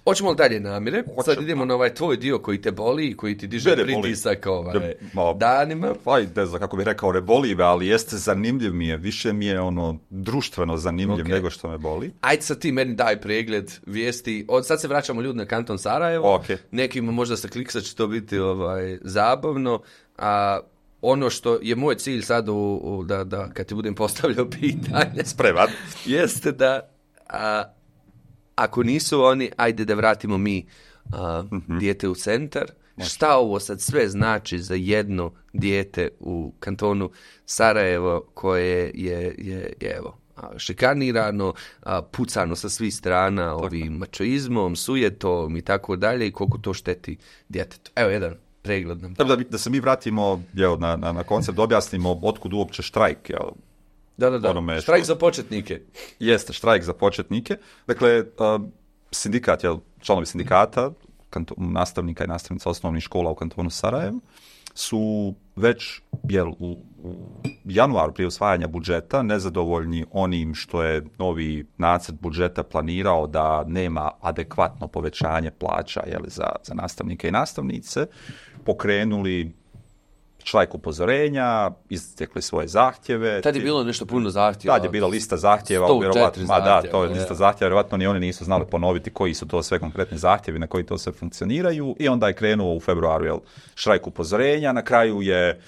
Speaker 2: Hoćemo li dalje namire? Sad idemo na ovaj tvoj dio koji te boli i koji ti diže pritisak ovaj, de, ma, danima.
Speaker 1: Aj, ne znam kako bih rekao, ne boli me, ali jeste zanimljiv mi je. Više mi je ono društveno zanimljiv okay. nego što me boli.
Speaker 2: Ajde sad ti meni daj pregled vijesti. Od sad se vraćamo ljudi na kanton Sarajevo.
Speaker 1: Okay.
Speaker 2: Nekima možda sa kliksa će to biti ovaj, zabavno. A ono što je moj cilj sad u, u, da, da kad ti budem postavljao pitanje.
Speaker 1: Spreman.
Speaker 2: Jeste da... A, ako nisu oni, ajde da vratimo mi uh, mm-hmm. dijete u centar. Može. Šta ovo sad sve znači za jedno dijete u kantonu Sarajevo koje je, je, je evo, šikanirano, pucano sa svih strana tako. Ovim mačoizmom, sujetom i tako dalje i koliko to šteti djetetu. Evo jedan pregled nam.
Speaker 1: Da, da, da se mi vratimo jel, na, na, na koncept, objasnimo otkud uopće štrajk, jel?
Speaker 2: Da, da, da. Štrajk za početnike.
Speaker 1: Jeste, štrajk za početnike. Dakle, uh, sindikat, jel, članovi sindikata, kanto, nastavnika i nastavnica osnovnih škola u kantonu Sarajevo, su već, jel, u, u januaru prije usvajanja budžeta nezadovoljni onim što je novi nacrt budžeta planirao da nema adekvatno povećanje plaća, jel, za, za nastavnike i nastavnice, pokrenuli štrajk upozorenja, istekli svoje zahtjeve.
Speaker 2: Tad je bilo nešto puno zahtjeva.
Speaker 1: Tad je bila lista zahtjeva.
Speaker 2: sto četiri
Speaker 1: ma
Speaker 2: zahtjeva.
Speaker 1: Da, to je lista zahtjeva. Vjerovatno ni oni nisu znali ponoviti koji su to sve konkretni zahtjevi, na koji to sve funkcioniraju. I onda je krenuo u februaru jel, štrajk upozorenja. Na kraju je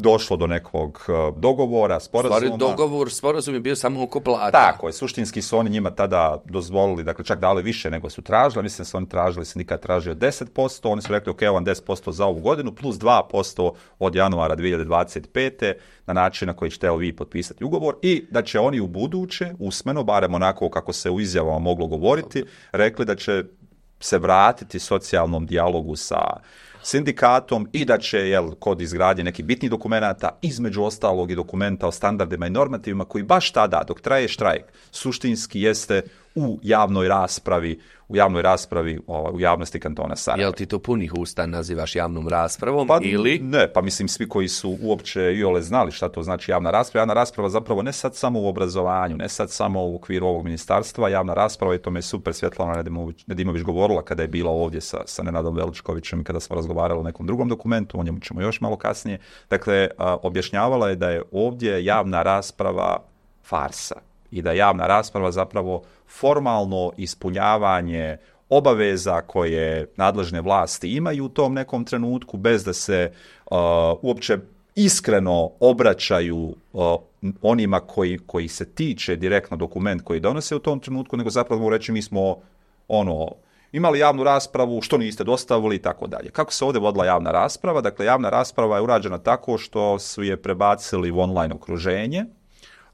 Speaker 1: došlo do nekog uh, dogovora, sporazuma.
Speaker 2: Stvari, dogovor, sporazum je bio samo oko plata.
Speaker 1: Tako je, suštinski su oni njima tada dozvolili, dakle čak dali više nego su tražili, mislim da su oni tražili, sindikat tražio deset posto, oni su rekli ok, vam deset posto za ovu godinu, plus dva posto od januara dvije tisuće dvadeset pete na način na koji ćete vi potpisati ugovor i da će oni u buduće, usmeno, barem onako kako se u izjavama moglo govoriti, rekli da će se vratiti socijalnom dijalogu sa sindikatom i da će, jel, kod izgradnje nekih bitnih dokumenata, između ostalog i dokumenta o standardima i normativima, koji baš tada, dok traje štrajk, suštinski jeste u javnoj raspravi, u javnoj raspravi u javnosti kantona Sarajevo.
Speaker 2: Jel ti to punih usta nazivaš javnom raspravom
Speaker 1: pa,
Speaker 2: ili?
Speaker 1: Ne, pa mislim svi koji su uopće iole znali šta to znači javna rasprava. Javna rasprava zapravo ne sad samo u obrazovanju, ne sad samo u okviru ovog ministarstva, javna rasprava, i to me je super Svjetlana Nedimović, Nedimović govorila kada je bila ovdje sa, sa Nenadom Veličkovićem i kada smo razgovarali o nekom drugom dokumentu, o njemu ćemo još malo kasnije. Dakle, a, objašnjavala je da je ovdje javna rasprava farsa i da javna rasprava zapravo formalno ispunjavanje obaveza koje nadležne vlasti imaju u tom nekom trenutku, bez da se uh, uopće iskreno obraćaju uh, onima koji, koji se tiče direktno dokument koji donose u tom trenutku, nego zapravo mogu reći mi smo ono, imali javnu raspravu, što niste dostavili i tako dalje. Kako se ovdje vodila javna rasprava? Dakle, javna rasprava je urađena tako što su je prebacili u online okruženje.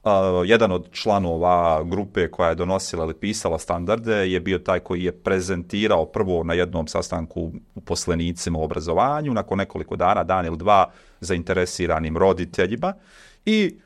Speaker 1: Uh, jedan od članova grupe koja je donosila ili pisala standarde je bio taj koji je prezentirao prvo na jednom sastanku uposlenicima u obrazovanju, nakon nekoliko dana, dan ili dva, zainteresiranim roditeljima, i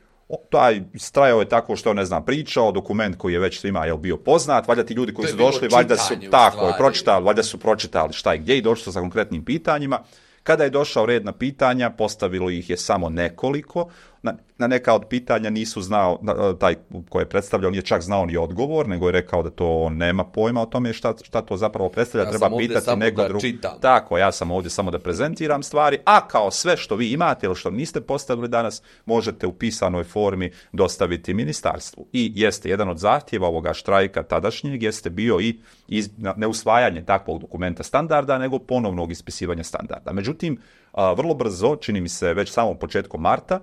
Speaker 1: taj strajao je tako što, ne znam, pričao, dokument koji je već svima je bio poznat, valjda ti ljudi koji su došli, valjda su tako je pročitali, valjda su pročitali šta i gdje i došli sa konkretnim pitanjima. Kada je došao red na pitanja, postavilo ih je samo nekoliko. Na, na neka od pitanja nisu znao, taj koji je predstavljao nije čak znao ni odgovor, nego je rekao da to on nema pojma o tome šta, šta to zapravo predstavlja.
Speaker 2: Ja
Speaker 1: treba pitati neko drugo. Tako, ja sam ovdje samo da prezentiram stvari, a kao sve što vi imate ili što niste postavili danas, možete u pisanoj formi dostaviti ministarstvu. I jeste, jedan od zahtjeva ovoga štrajka tadašnjeg jeste bio i iz, ne usvajanje takvog dokumenta standarda, nego ponovnog ispisivanja standarda. Međutim, a, vrlo brzo, čini mi se već samom početkom marta,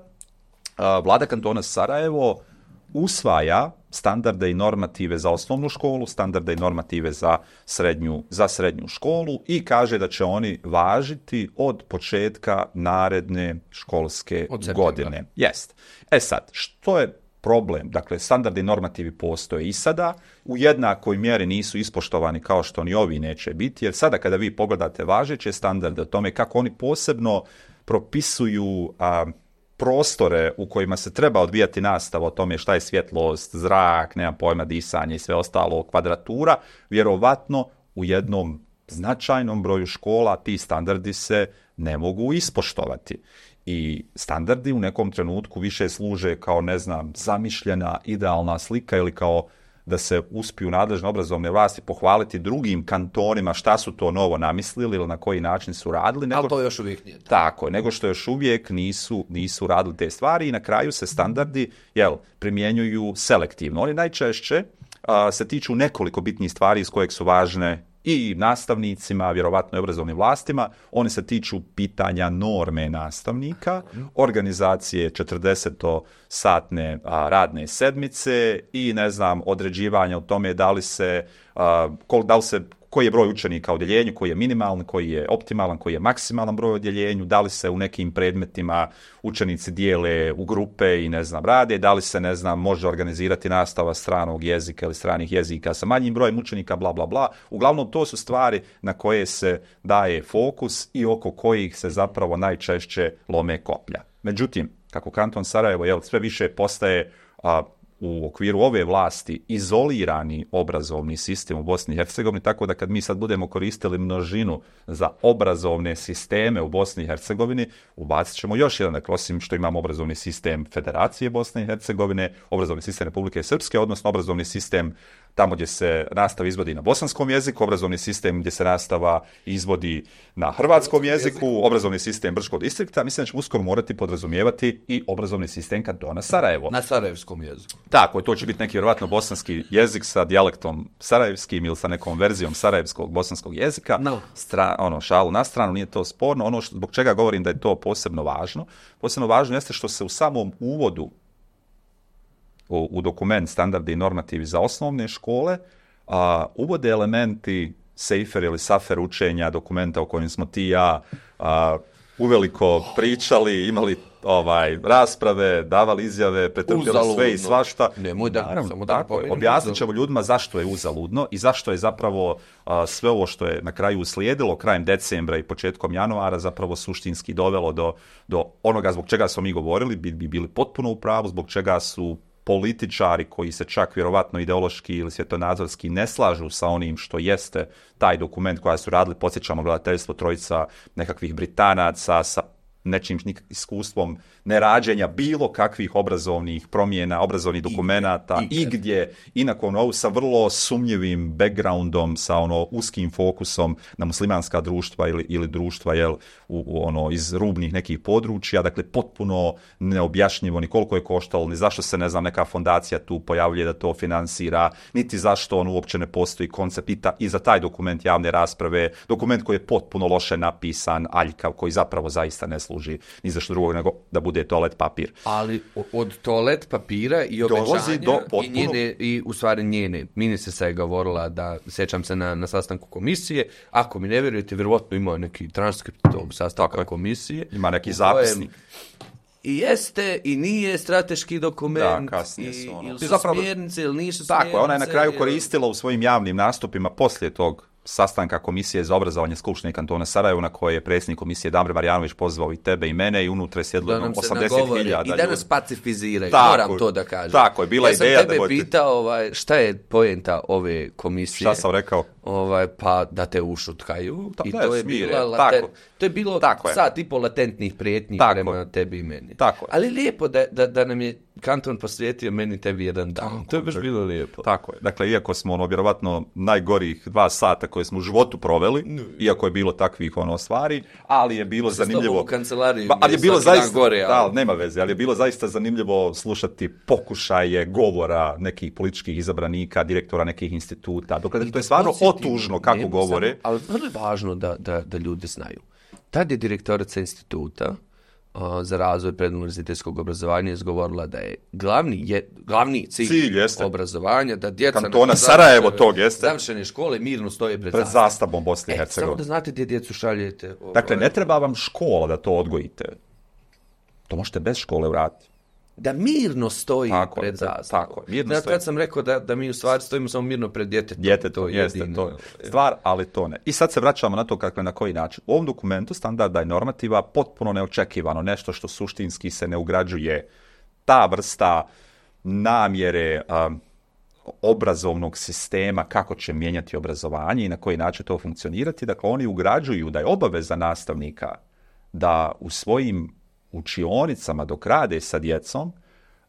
Speaker 1: Vlada kantona Sarajevo usvaja standarde i normative za osnovnu školu, standarde i normative za srednju, za srednju školu i kaže da će oni važiti od početka naredne školske godine. Jest. E sad, što je problem? Dakle, standardi i normativi postoje i sada, u jednakoj mjeri nisu ispoštovani kao što ni ovi neće biti, jer sada kada vi pogledate važeće standarde o tome kako oni posebno propisuju a, prostore u kojima se treba odvijati nastava o tome šta je svjetlost, zrak, nema pojma, disanje i sve ostalo, kvadratura, vjerovatno u jednom značajnom broju škola ti standardi se ne mogu ispoštovati. I standardi u nekom trenutku više služe kao, ne znam, zamišljena idealna slika ili kao da se uspiju nadležne obrazovne vlasti pohvaliti drugim kantonima šta su to novo namislili ili na koji način su radili. Nego,
Speaker 2: ali to još uvijek nije.
Speaker 1: Tako, nego što još uvijek nisu, nisu radili te stvari i na kraju se standardi jel, primjenjuju selektivno. Oni najčešće a, se tiču nekoliko bitnih stvari iz kojeg su važne i nastavnicima, vjerovatno i obrazovnim vlastima. Oni se tiču pitanja norme nastavnika, organizacije četrdesetosatne radne sedmice i, ne znam, određivanja o tome da li se, a, kol, da li se koji je broj učenika u odjeljenju, koji je minimalan, koji je optimalan, koji je maksimalan broj u odjeljenju, da li se u nekim predmetima učenici dijele u grupe i, ne znam, rade, da li se, ne znam, može organizirati nastava stranog jezika ili stranih jezika sa manjim brojem učenika, bla, bla, bla. Uglavnom, to su stvari na koje se daje fokus i oko kojih se zapravo najčešće lome koplja. Međutim, kako kanton Sarajevo jel, sve više postaje a, u okviru ove vlasti izolirani obrazovni sistem u Bosni i Hercegovini, tako da kad mi sad budemo koristili množinu za obrazovne sisteme u Bosni i Hercegovini, ubacit ćemo još jedan, dakle, osim što imamo obrazovni sistem Federacije Bosne i Hercegovine, obrazovni sistem Republike Srpske, odnosno obrazovni sistem tamo gdje se nastava izvodi na bosanskom jeziku, obrazovni sistem gdje se nastava izvodi na hrvatskom jeziku, obrazovni sistem Brčkog distrikta, mislim da ćemo uskoro morati podrazumijevati i obrazovni sistem kantona Sarajevo.
Speaker 2: Na sarajevskom jeziku.
Speaker 1: Tako, to će biti neki vjerojatno bosanski jezik sa dijalektom sarajevskim ili sa nekom verzijom sarajevskog bosanskog jezika.
Speaker 2: No.
Speaker 1: Stra, ono, šalu na stranu, nije to sporno. Ono što, zbog čega govorim da je to posebno važno. Posebno važno jeste što se u samom uvodu u, u dokument standardi i normativi za osnovne škole a, uvode elementi sejfer ili safer učenja, dokumenta o kojem smo ti i ja a, uveliko pričali, imali ovaj rasprave, davali izjave, pretrpjeli sve i svašta.
Speaker 2: Nemoj da,
Speaker 1: Naravno,
Speaker 2: samo da
Speaker 1: tako, objasnit ćemo ljudima zašto je uzaludno i zašto je zapravo a, sve ovo što je na kraju uslijedilo krajem decembra i početkom januara zapravo suštinski dovelo do, do onoga zbog čega smo mi govorili, bi, bi bili potpuno u pravu, zbog čega su političari koji se čak vjerovatno ideološki ili svjetonazorski ne slažu sa onim što jeste taj dokument koja su radili, podsjećamo gledateljstvo trojica nekakvih Britanaca sa nečim iskustvom nerađenja bilo kakvih obrazovnih promjena, obrazovnih dokumenata i, i, i gdje i nakon ovo sa vrlo sumnjivim backgroundom, sa ono uskim fokusom na muslimanska društva ili, ili društva jel, u, u ono iz rubnih nekih područja, dakle potpuno neobjašnjivo ni koliko je koštalo, ni zašto se ne znam neka fondacija tu pojavljuje da to finansira, niti zašto on uopće ne postoji koncept i, ta, i za taj dokument javne rasprave, dokument koji je potpuno loše napisan, aljkav, koji zapravo zaista ne služi ni za što drugog nego da bude toalet papir.
Speaker 2: Ali od toalet papira i obećanja do potpuno... i, njene, i u stvari njene. Ministrica je govorila da, sjećam se na, na sastanku komisije, ako mi ne vjerujete, vjerovatno ima neki transkript tog sastanka komisije.
Speaker 1: Ima neki zapisnik.
Speaker 2: I jeste i nije strateški dokument,
Speaker 1: da, kasnije su ono.
Speaker 2: Ili su zapravo, smjernice ili nisu
Speaker 1: tako,
Speaker 2: smjernice.
Speaker 1: Ona je na kraju koristila u svojim javnim nastupima poslije tog sastanka komisije za obrazovanje Skupštine kantona Sarajevo na koje je predsjednik komisije Damir Marjanović pozvao i tebe i mene i unutra je sjedlo osamdeset hiljada.
Speaker 2: I da nas pacifiziraju,
Speaker 1: tako,
Speaker 2: moram to da kažem.
Speaker 1: Tako je, bila
Speaker 2: ja
Speaker 1: ideja
Speaker 2: da... Ja sam tebe
Speaker 1: budete...
Speaker 2: pitao ovaj, šta je poenta ove komisije.
Speaker 1: Šta sam rekao?
Speaker 2: Ovaj, pa da te ušutkaju. Ta, I to je,
Speaker 1: smire,
Speaker 2: bila laten... to je bilo sat i pol latentnih prijetnji tako prema tebi i meni.
Speaker 1: Tako
Speaker 2: Ali lijepo da, da, da nam je kanton posvijetio meni tebi jedan dan. Tako, to je baš bilo lijepo.
Speaker 1: Tako je. Dakle, iako smo ono vjerovatno najgorih dva sata koje smo u životu proveli, no. Iako je bilo takvih ono stvari, ali je bilo
Speaker 2: Sa
Speaker 1: zanimljivo.
Speaker 2: U kancelariji
Speaker 1: ba, ali je bilo zaista
Speaker 2: gore, ali...
Speaker 1: da, nema veze, ali je bilo zaista zanimljivo slušati pokušaje govora nekih političkih izabranika, direktora nekih instituta. Dokle, to je stvarno otužno kako nema, govore. Samo,
Speaker 2: ali vrlo je važno da, da, da ljudi znaju. Tad je direktorica instituta uh, za razvoj preduniverzitetskog obrazovanja izgovorila da je glavni, je, glavni cilj, cilj obrazovanja da djeca
Speaker 1: kantona Sarajevo tog jeste
Speaker 2: završene škole mirno stoje pred,
Speaker 1: pred zastavom Bosne i
Speaker 2: e,
Speaker 1: Hercegovine.
Speaker 2: Samo da znate gdje djecu šaljete.
Speaker 1: Ovo, dakle, ne treba vam škola da to odgojite. To možete bez škole uraditi.
Speaker 2: Da mirno stoji
Speaker 1: tako,
Speaker 2: pred zastavom.
Speaker 1: Tako, mirno
Speaker 2: znači,
Speaker 1: stoji.
Speaker 2: Kad sam rekao da, da mi u stvari stojimo samo mirno pred djetetom.
Speaker 1: Djetetom, to jeste, jedino. To je stvar, ali to ne. I sad se vraćamo na to kakve, na koji način. U ovom dokumentu standarda i normativa potpuno neočekivano, nešto što suštinski se ne ugrađuje, ta vrsta namjere um, obrazovnog sistema, kako će mijenjati obrazovanje i na koji način to funkcionirati. Dakle, oni ugrađuju da je obaveza nastavnika da u svojim učionicama dok rade sa djecom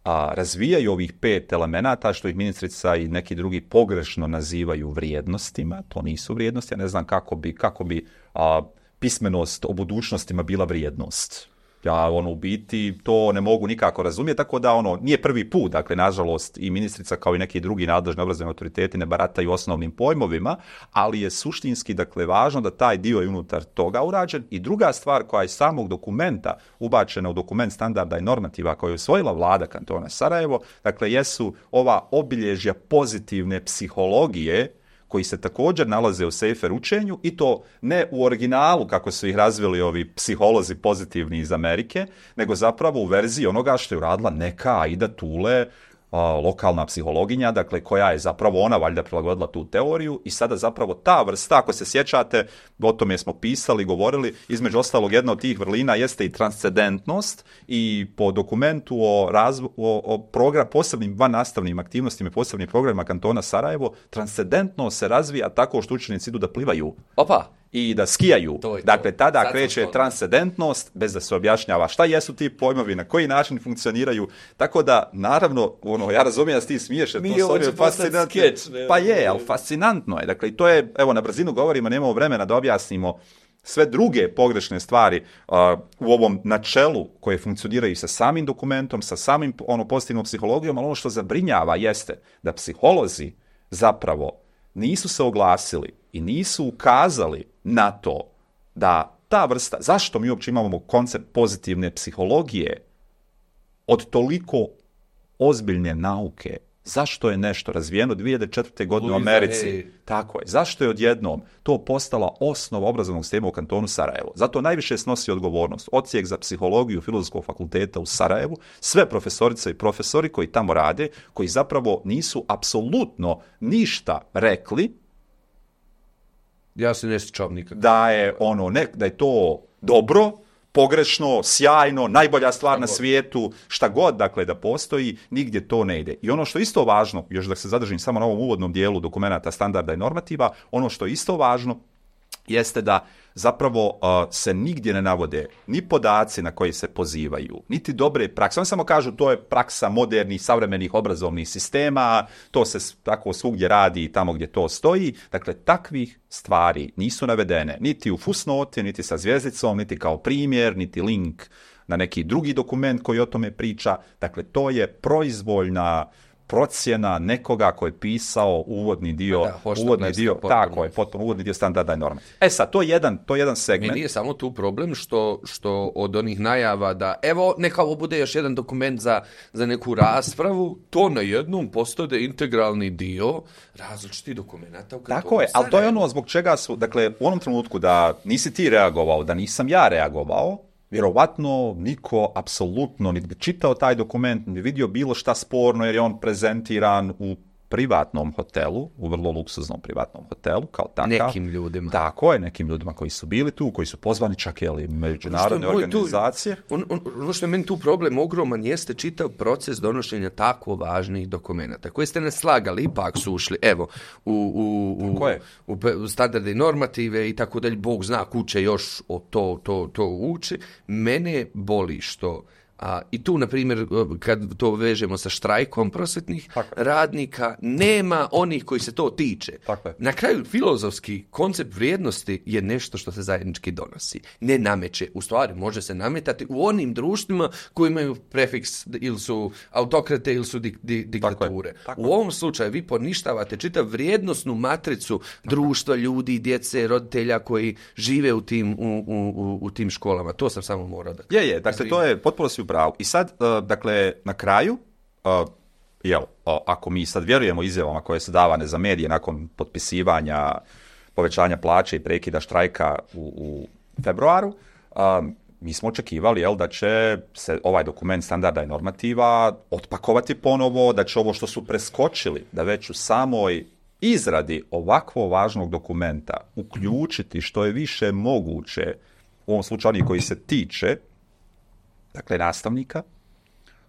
Speaker 1: a, razvijaju ovih pet elemenata što ih ministrica i neki drugi pogrešno nazivaju vrijednostima. To nisu vrijednosti, ja ne znam kako bi, kako bi a, pismenost o budućnostima bila vrijednost. Ja ono u biti to ne mogu nikako razumjeti, tako da ono nije prvi put, dakle nažalost i ministrica kao i neki drugi nadležni obrazovni autoriteti ne barataju osnovnim pojmovima, ali je suštinski dakle važno da taj dio je unutar toga urađen. I druga stvar koja je iz samog dokumenta ubačena u dokument standarda i normativa koju je usvojila vlada kantona Sarajevo, dakle jesu ova obilježja pozitivne psihologije koji se također nalaze u sejfer učenju i to ne u originalu kako su ih razvili ovi psiholozi pozitivni iz Amerike, nego zapravo u verziji onoga što je uradila neka Aida Tule, a, lokalna psihologinja, dakle koja je zapravo ona valjda prilagodila tu teoriju i sada zapravo ta vrsta, ako se sjećate, o tome smo pisali, govorili, između ostalog jedna od tih vrlina jeste i transcendentnost i po dokumentu o, razvo, o, o program, posebnim vannastavnim aktivnostima i posebnim programima kantona Sarajevo, transcendentnost se razvija tako što učenici idu da plivaju.
Speaker 2: Opa!
Speaker 1: i da skijaju.
Speaker 2: To je to.
Speaker 1: Dakle, tada
Speaker 2: Sad
Speaker 1: kreće
Speaker 2: to.
Speaker 1: transcendentnost bez da se objašnjava šta jesu ti pojmovi, na koji način funkcioniraju. Tako da, naravno, ono, ja razumijem da si ti smiješ, jer to je fascinantno. Pa je, ali fascinantno je. Dakle, i to je, evo, na brzinu govorimo, nemamo vremena da objasnimo sve druge pogrešne stvari uh, u ovom načelu koje funkcioniraju sa samim dokumentom, sa samim ono, pozitivnom psihologijom, ali ono što zabrinjava jeste da psiholozi zapravo nisu se oglasili i nisu ukazali na to da ta vrsta, zašto mi uopće imamo koncept pozitivne psihologije od toliko ozbiljne nauke, zašto je nešto razvijeno dvije hiljade četvrte. godine u Americi,
Speaker 2: Luisa,
Speaker 1: tako je, zašto je odjednom to postala osnova obrazovnog sistema u kantonu Sarajevo? Zato najviše snosi odgovornost odsjek za psihologiju Filozofskog fakulteta u Sarajevu, sve profesorice i profesori koji tamo rade, koji zapravo nisu apsolutno ništa rekli
Speaker 2: Ja se ne sjećam nikak.
Speaker 1: da je ono ne, da je to dobro, pogrešno, sjajno, najbolja stvar na svijetu, šta god, dakle, da postoji, nigdje to ne ide. I ono što je isto važno, još da se zadržim samo na ovom uvodnom dijelu dokumenata, standarda i normativa, ono što je isto važno jeste da zapravo uh, se nigdje ne navode ni podaci na koji se pozivaju, niti dobre prakse. Oni samo kažu to je praksa modernih, savremenih obrazovnih sistema, to se tako svugdje radi tamo gdje to stoji. Dakle, takvih stvari nisu navedene niti u fusnoti, niti sa zvijezdicom, niti kao primjer, niti link na neki drugi dokument koji o tome priča. Dakle, to je proizvoljna procjena nekoga ko je pisao uvodni dio,
Speaker 2: da,
Speaker 1: uvodni dio,
Speaker 2: potpuno.
Speaker 1: tako je, potpuno uvodni dio standarda i norma. E sad, to je jedan, to je jedan segment.
Speaker 2: Mi nije samo tu problem što, što od onih najava da evo neka ovo bude još jedan dokument za, za neku raspravu, to na jednom postade integralni dio različitih dokumenta.
Speaker 1: Tako je, ali to je ono zbog čega su, dakle, u onom trenutku da nisi ti reagovao, da nisam ja reagovao, vjerovatno niko apsolutno niti bi čitao taj dokument, niti bi vidio bilo šta sporno jer je on prezentiran u privatnom hotelu, u vrlo luksuznom privatnom hotelu, kao takav.
Speaker 2: Nekim ljudima.
Speaker 1: Tako je, nekim ljudima koji su bili tu, koji su pozvani čak i međunarodne
Speaker 2: ono
Speaker 1: organizacije.
Speaker 2: Tu, on, on, ono što je meni tu problem ogroman jeste čitav proces donošenja tako važnih dokumenata koje ste ne slagali, ipak su ušli, evo, u, u, u, u, u standarde i normative i tako dalje, Bog zna kuće još o to, to, to uči. Mene boli što A, i tu, na primjer, kad to vežemo sa štrajkom prosvetnih radnika, nema onih koji se to tiče. Na kraju, filozofski koncept vrijednosti je nešto što se zajednički donosi. Ne nameće. U stvari, može se nametati u onim društvima koji imaju prefiks ili su autokrate ili su di, di, diktature. Tako Tako u ovom slučaju vi poništavate čitav vrijednosnu matricu društva, ljudi, djece, roditelja koji žive u tim, u, u, u tim školama. To sam samo morao da...
Speaker 1: Je, je. Dakle, to je potpuno si pravu. I sad, uh, dakle, na kraju, uh, jel, uh, ako mi sad vjerujemo izjavama koje su davane za medije nakon potpisivanja povećanja plaće i prekida štrajka u, u februaru, uh, mi smo očekivali, jel, da će se ovaj dokument standarda i normativa otpakovati ponovo, da će ovo što su preskočili, da već u samoj izradi ovakvo važnog dokumenta uključiti što je više moguće, u ovom slučaju onih koji se tiče, dakle, nastavnika,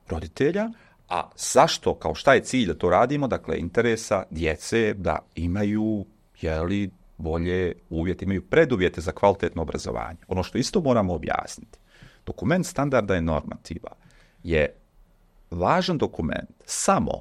Speaker 1: roditelja, a zašto, kao šta je cilj da to radimo, dakle, interesa djece da imaju, jeli, bolje uvjete, imaju preduvjete za kvalitetno obrazovanje. Ono što isto moramo objasniti, dokument standarda i normativa je važan dokument samo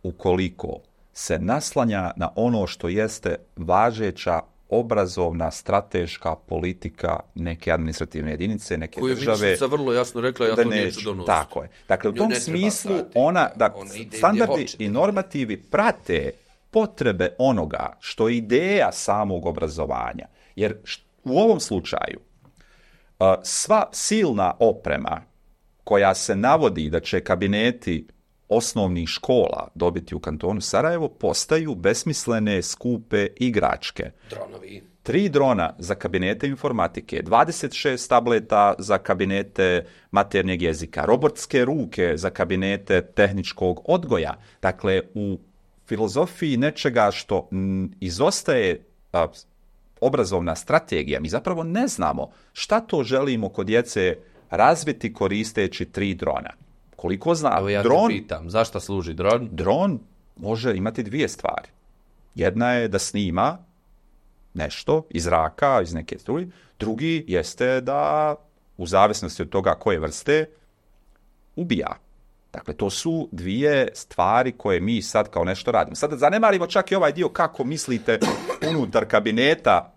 Speaker 1: ukoliko se naslanja na ono što jeste važeća obrazovna, strateška politika neke administrativne jedinice, neke
Speaker 2: koju
Speaker 1: države.
Speaker 2: Koju sam vrlo jasno rekla, ja to neću donositi.
Speaker 1: Tako je. Dakle, u tom smislu ona, da, ona standardi i normativi prate potrebe onoga što je ideja samog obrazovanja. Jer u ovom slučaju sva silna oprema koja se navodi da će kabineti osnovnih škola dobiti u kantonu Sarajevo postaju besmislene, skupe igračke.
Speaker 2: Dronovi.
Speaker 1: Tri drona za kabinete informatike, dvadeset šest tableta za kabinete maternjeg jezika, robotske ruke za kabinete tehničkog odgoja. Dakle, u filozofiji nečega što m, izostaje a, obrazovna strategija, mi zapravo ne znamo šta to želimo kod djece razviti koristeći tri drona. Koliko znam,
Speaker 2: Evo ja
Speaker 1: dron,
Speaker 2: te pitam, zašto služi dron?
Speaker 1: Dron može imati dvije stvari. Jedna je da snima nešto iz zraka, iz neke struje. Drugi jeste da u zavisnosti od toga koje vrste ubija. Dakle, to su dvije stvari koje mi sad kao nešto radimo. Sad zanemarimo čak i ovaj dio kako mislite unutar kabineta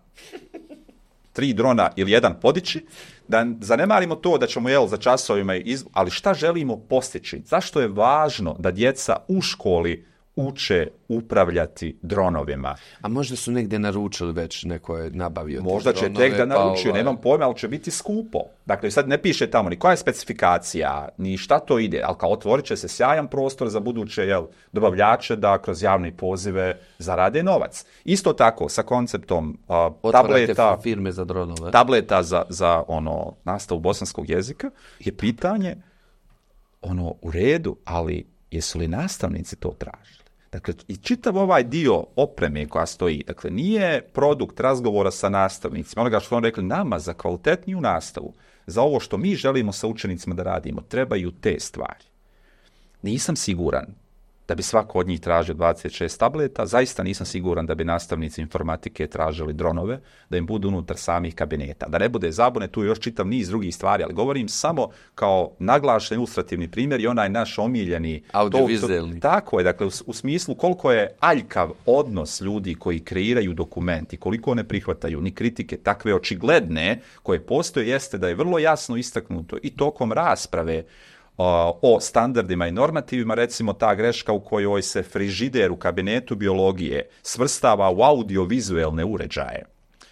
Speaker 1: tri drona ili jedan podići, da zanemarimo to da ćemo jel za časovima, iz... ali šta želimo postići? Zašto je važno da djeca u školi uče upravljati dronovima?
Speaker 2: A možda su negdje naručili već, neko je nabavio.
Speaker 1: Možda će
Speaker 2: dronove,
Speaker 1: tek da naručio,
Speaker 2: pa, ovaj...
Speaker 1: nemam pojma, ali će biti skupo. Dakle, sad ne piše tamo ni koja je specifikacija, ni šta to ide, ali kao otvorit će se sjajan prostor za buduće jel, dobavljače da kroz javne pozive zarade novac. Isto tako, sa konceptom uh, tableta,
Speaker 2: firme za dronove.
Speaker 1: tableta za, za ono, nastavu bosanskog jezika, je pitanje ono, u redu, ali jesu li nastavnici to tražili? Dakle, i čitav ovaj dio opreme koja stoji, dakle, nije produkt razgovora sa nastavnicima, onoga što su rekli, nama za kvalitetniju nastavu, za ovo što mi želimo sa učenicima da radimo, trebaju te stvari. Nisam siguran da bi svako od njih tražio dvadeset šest tableta, zaista nisam siguran da bi nastavnici informatike tražili dronove, da im budu unutar samih kabineta. Da ne bude zabune, tu je još čitav niz drugih stvari, ali govorim samo kao naglašen ilustrativni primjer i onaj naš omiljeni...
Speaker 2: Audiovizualni.
Speaker 1: Tako je, dakle, u, u smislu koliko je aljkav odnos ljudi koji kreiraju dokument i koliko ne prihvataju ni kritike takve očigledne koje postoje, jeste da je vrlo jasno istaknuto i tokom rasprave o standardima i normativima, recimo ta greška u kojoj se frižider u kabinetu biologije svrstava u audiovizualne uređaje.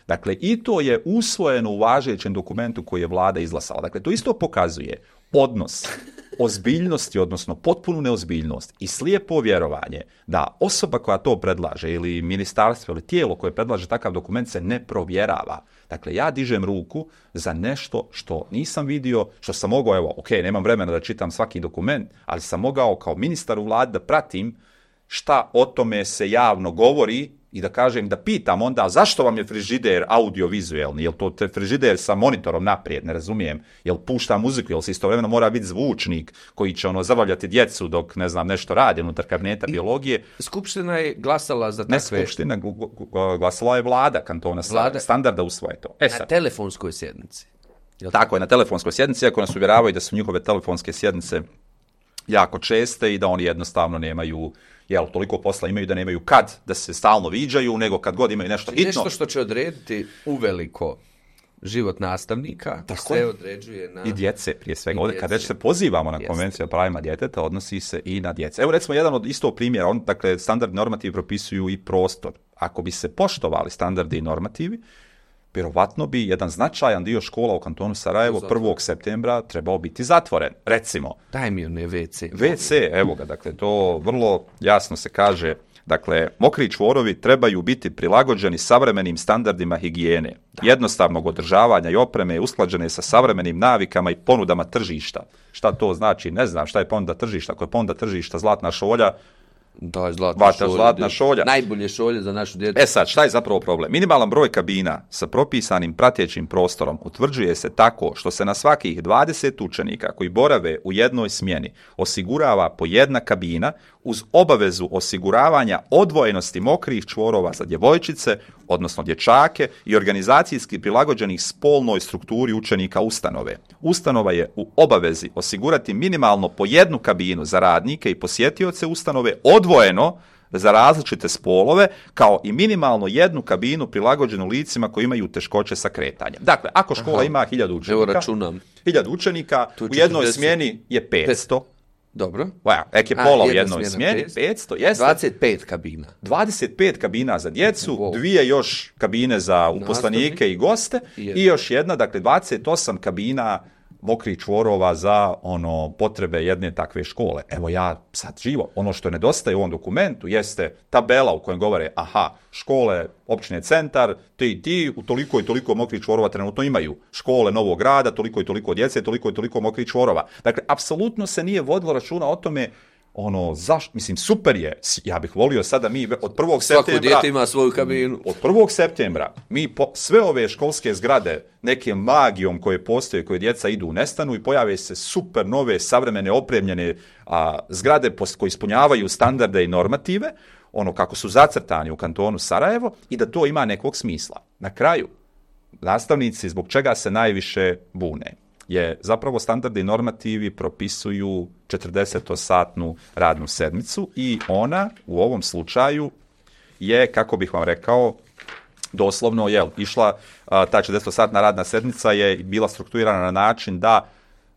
Speaker 1: Dakle, i to je usvojeno u važećem dokumentu koji je vlada izglasala. Dakle, to isto pokazuje odnos ozbiljnosti, odnosno potpunu neozbiljnost i slijepo vjerovanje da osoba koja to predlaže ili ministarstvo ili tijelo koje predlaže takav dokument se ne provjerava. Dakle, ja dižem ruku za nešto što nisam vidio, što sam mogao, evo, ok, nemam vremena da čitam svaki dokument, ali sam mogao kao ministar u vladi da pratim šta o tome se javno govori i da kažem, da pitam onda zašto vam je frižider audiovizualni, jel to te frižider sa monitorom naprijed, ne razumijem, jel pušta muziku, jel se istovremeno mora biti zvučnik koji će ono zabavljati djecu dok ne znam nešto radi unutar kabineta biologije.
Speaker 2: Skupština je glasala za takve...
Speaker 1: Ne skupština, glasala je vlada kantona vlada... standarda usvoje to.
Speaker 2: E, na telefonskoj sjednici.
Speaker 1: Jel tako je, na telefonskoj sjednici, ako nas uvjeravaju da su njihove telefonske sjednice jako česte i da oni jednostavno nemaju, jel, toliko posla imaju da nemaju kad da se stalno viđaju, nego kad god imaju nešto hitno.
Speaker 2: Nešto što će odrediti uveliko život nastavnika,
Speaker 1: tako
Speaker 2: sve
Speaker 1: je.
Speaker 2: Određuje na...
Speaker 1: I djece, prije svega.
Speaker 2: I
Speaker 1: Ovdje, kad već se pozivamo na konvenciju o pravima djeteta, odnosi se i na djece. Evo, recimo, jedan od istog primjera, on, dakle, standardni normativi propisuju i prostor. Ako bi se poštovali standardi i normativi, vjerovatno bi jedan značajan dio škola u kantonu Sarajevo prvog septembra trebao biti zatvoren. Recimo.
Speaker 2: Daj mi one ve ce.
Speaker 1: ve ce, evo ga, dakle, to vrlo jasno se kaže. Dakle, mokri čvorovi trebaju biti prilagođeni savremenim standardima higijene, da. jednostavnog održavanja i opreme, usklađene sa savremenim navikama i ponudama tržišta. Šta to znači? Ne znam šta je ponuda tržišta. Ako je ponuda tržišta zlatna šolja,
Speaker 2: Da, zlatna šolja.
Speaker 1: Zlatna šolja.
Speaker 2: Najbolje šolje za našu djecu.
Speaker 1: E sad, šta je zapravo problem? Minimalan broj kabina sa propisanim pratećim prostorom utvrđuje se tako što se na svakih dvadeset učenika koji borave u jednoj smjeni osigurava po jedna kabina uz obavezu osiguravanja odvojenosti mokrih čvorova za djevojčice, odnosno dječake i organizacijski prilagođenih spolnoj strukturi učenika ustanove. Ustanova je u obavezi osigurati minimalno po jednu kabinu za radnike i posjetioce ustanove odvojeno za različite spolove, kao i minimalno jednu kabinu prilagođenu licima koji imaju teškoće sa kretanjem. Dakle, ako škola Aha. ima hiljadu učenika,
Speaker 2: Evo računam.
Speaker 1: hiljadu učenika, u jednoj smjeni je petsto.
Speaker 2: Dobro.
Speaker 1: Wow, ek je pola u jednoj smjeni, petsto, jeste.
Speaker 2: dvadeset pet kabina.
Speaker 1: dvadeset pet kabina za djecu, wow. dvije još kabine za uposlenike Nastavni. i goste I, i još jedna, dakle dvadeset osam kabina mokrih čvorova za ono potrebe jedne takve škole. Evo ja sad živo, ono što nedostaje u ovom dokumentu jeste tabela u kojem govore, aha, škole općine Centar, ti i ti, u toliko i toliko mokrih čvorova trenutno imaju. Škole Novog Grada, toliko i toliko djece, toliko i toliko mokrih čvorova. Dakle, apsolutno se nije vodilo računa o tome ono, zašto, mislim, super je, ja bih volio sada mi od prvog septembra...
Speaker 2: Svako dijete ima svoju kabinu.
Speaker 1: Od prvog septembra mi po, sve ove školske zgrade nekim magijom koje postoje, koje djeca idu u nestanu i pojave se super nove, savremene, opremljene a, zgrade post, koje ispunjavaju standarde i normative, ono kako su zacrtani u kantonu Sarajevo i da to ima nekog smisla. Na kraju, nastavnici zbog čega se najviše bune je zapravo standardi i normativi propisuju četrdesetsatnu radnu sedmicu i ona u ovom slučaju je, kako bih vam rekao, doslovno je išla, a, ta četrdesetsatna radna sedmica je bila strukturirana na način da